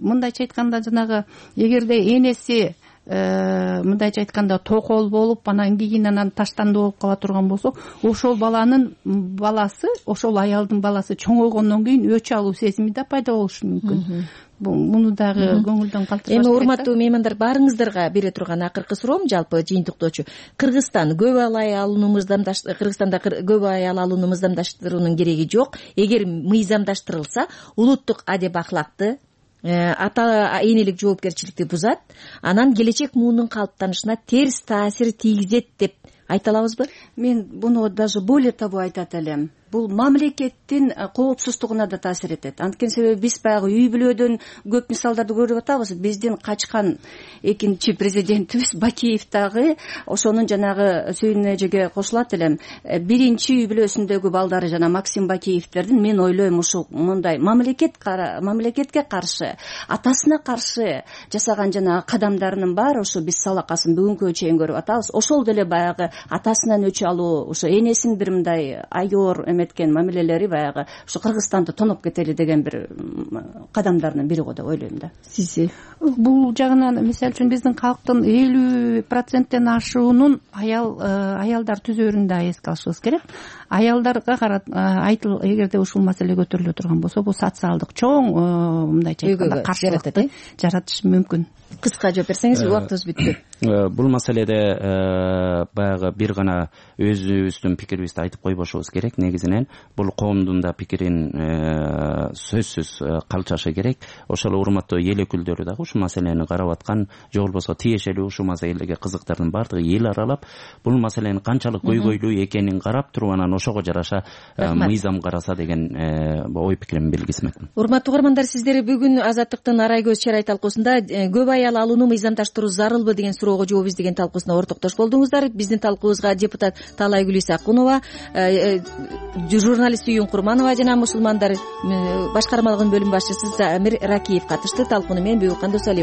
мындайча айтканда, жанагы эгерде энеси мындайча айтканда токол болуп, анан кийин анан таштандуу болуп кала турган болсо, ошол баланын баласы, ошол аялдын баласы чоңойгондон кийин өч алуу сезими да пайда болушу мүмкүн. муну дагы көңүлдөн калтырбаш. Эми урматтуу меймандар, баарыңыздарга бере турган акыркы суроом, жалпы жыйынтыктоочу, Кыргызстан көп ай алууну мыйзамдаш Кыргызстанда көп ай алууну мыйзамдаштыруунун кереги жок. Эгер мыйзамдаштырылса, улуттук адеп ахлакты, ата энелик жоопкерчиликти бузат, анан келечек муунун калыптанышына терс таасир тийгизет деп айта алабызбы? Мен буну даже более того айтат элем. Бул мамлекеттин коопсуздугуна да таасир этет. Анткени себеби биз баягы үй бүлөдөн көп мисалдарды көрүп атабыз. Биздин качкан экинчи президентибиз Бакиев дагы ошонун жанагы сүйүн эжеге кошулат элем. Биринчи үй бүлөсүндөгү балдары жана Максим Бакиевтердин, мен ойлойм, ушул мындай мамлекет мамлекетке каршы, атасына каршы жасаган жанагы кадамдарынын баары ушу биз салакасын бүгүнкү чейин көрүп атабыз. Ошол деле баягы атасынан өч алуу, ушу энесин бир мындай айоор эткен мамилелери баягы ушу Кыргызстанды тоноп кетели деген бир кадамдарынын бири го деп ойлойм да. Сиз бул жагынан, мисалы үчүн, биздин калктын элүү проценттен ашуунун аял аялдар түзөрүн да эске алышыбыз керек. Аялдарга карап айтыл, эгерде ушул маселе көтөрүлө турган болсо, бул социалдык чоң мындайча айтканда каршылыкты жаратышы мүмкүн. Кыска жооп берсеңиз, убактыбыз бүттү. Бул маселеде баягы бир гана өзүбүздүн пикирибизди айтып койбошубуз керек. Негизинен бул коомдун да пикирин сөзсүз калчашы керек. Ошол урматтуу эл өкүлдөрү дагы ушул маселени карап аткан, же болбосо тиешелүү ушул маселеге кызыктардын баардыгы эл аралап, бул маселенин канчалык көйгөйлүү экенин карап туруп, анан ошого жараша мыйзам караса деген ой пикиримди билгизмекмин. Урматтуу угармандар, сиздер бүгүн Азаттыктын Арай көз чарай талкуусунда көп аял алууну мыйзамдаштыруу зарылбы деген суроого жооп издеген талкуусуна ортоктош болдуңуздар. Биздин талкуубузга депутат Таалайгүл Исакунова, журналист Үйүн Курманова жана мусулмандар башкармалыгынын бөлүм башчысы Замир Ракиев катышты. Талкууну мен Бүйүккан Досалиева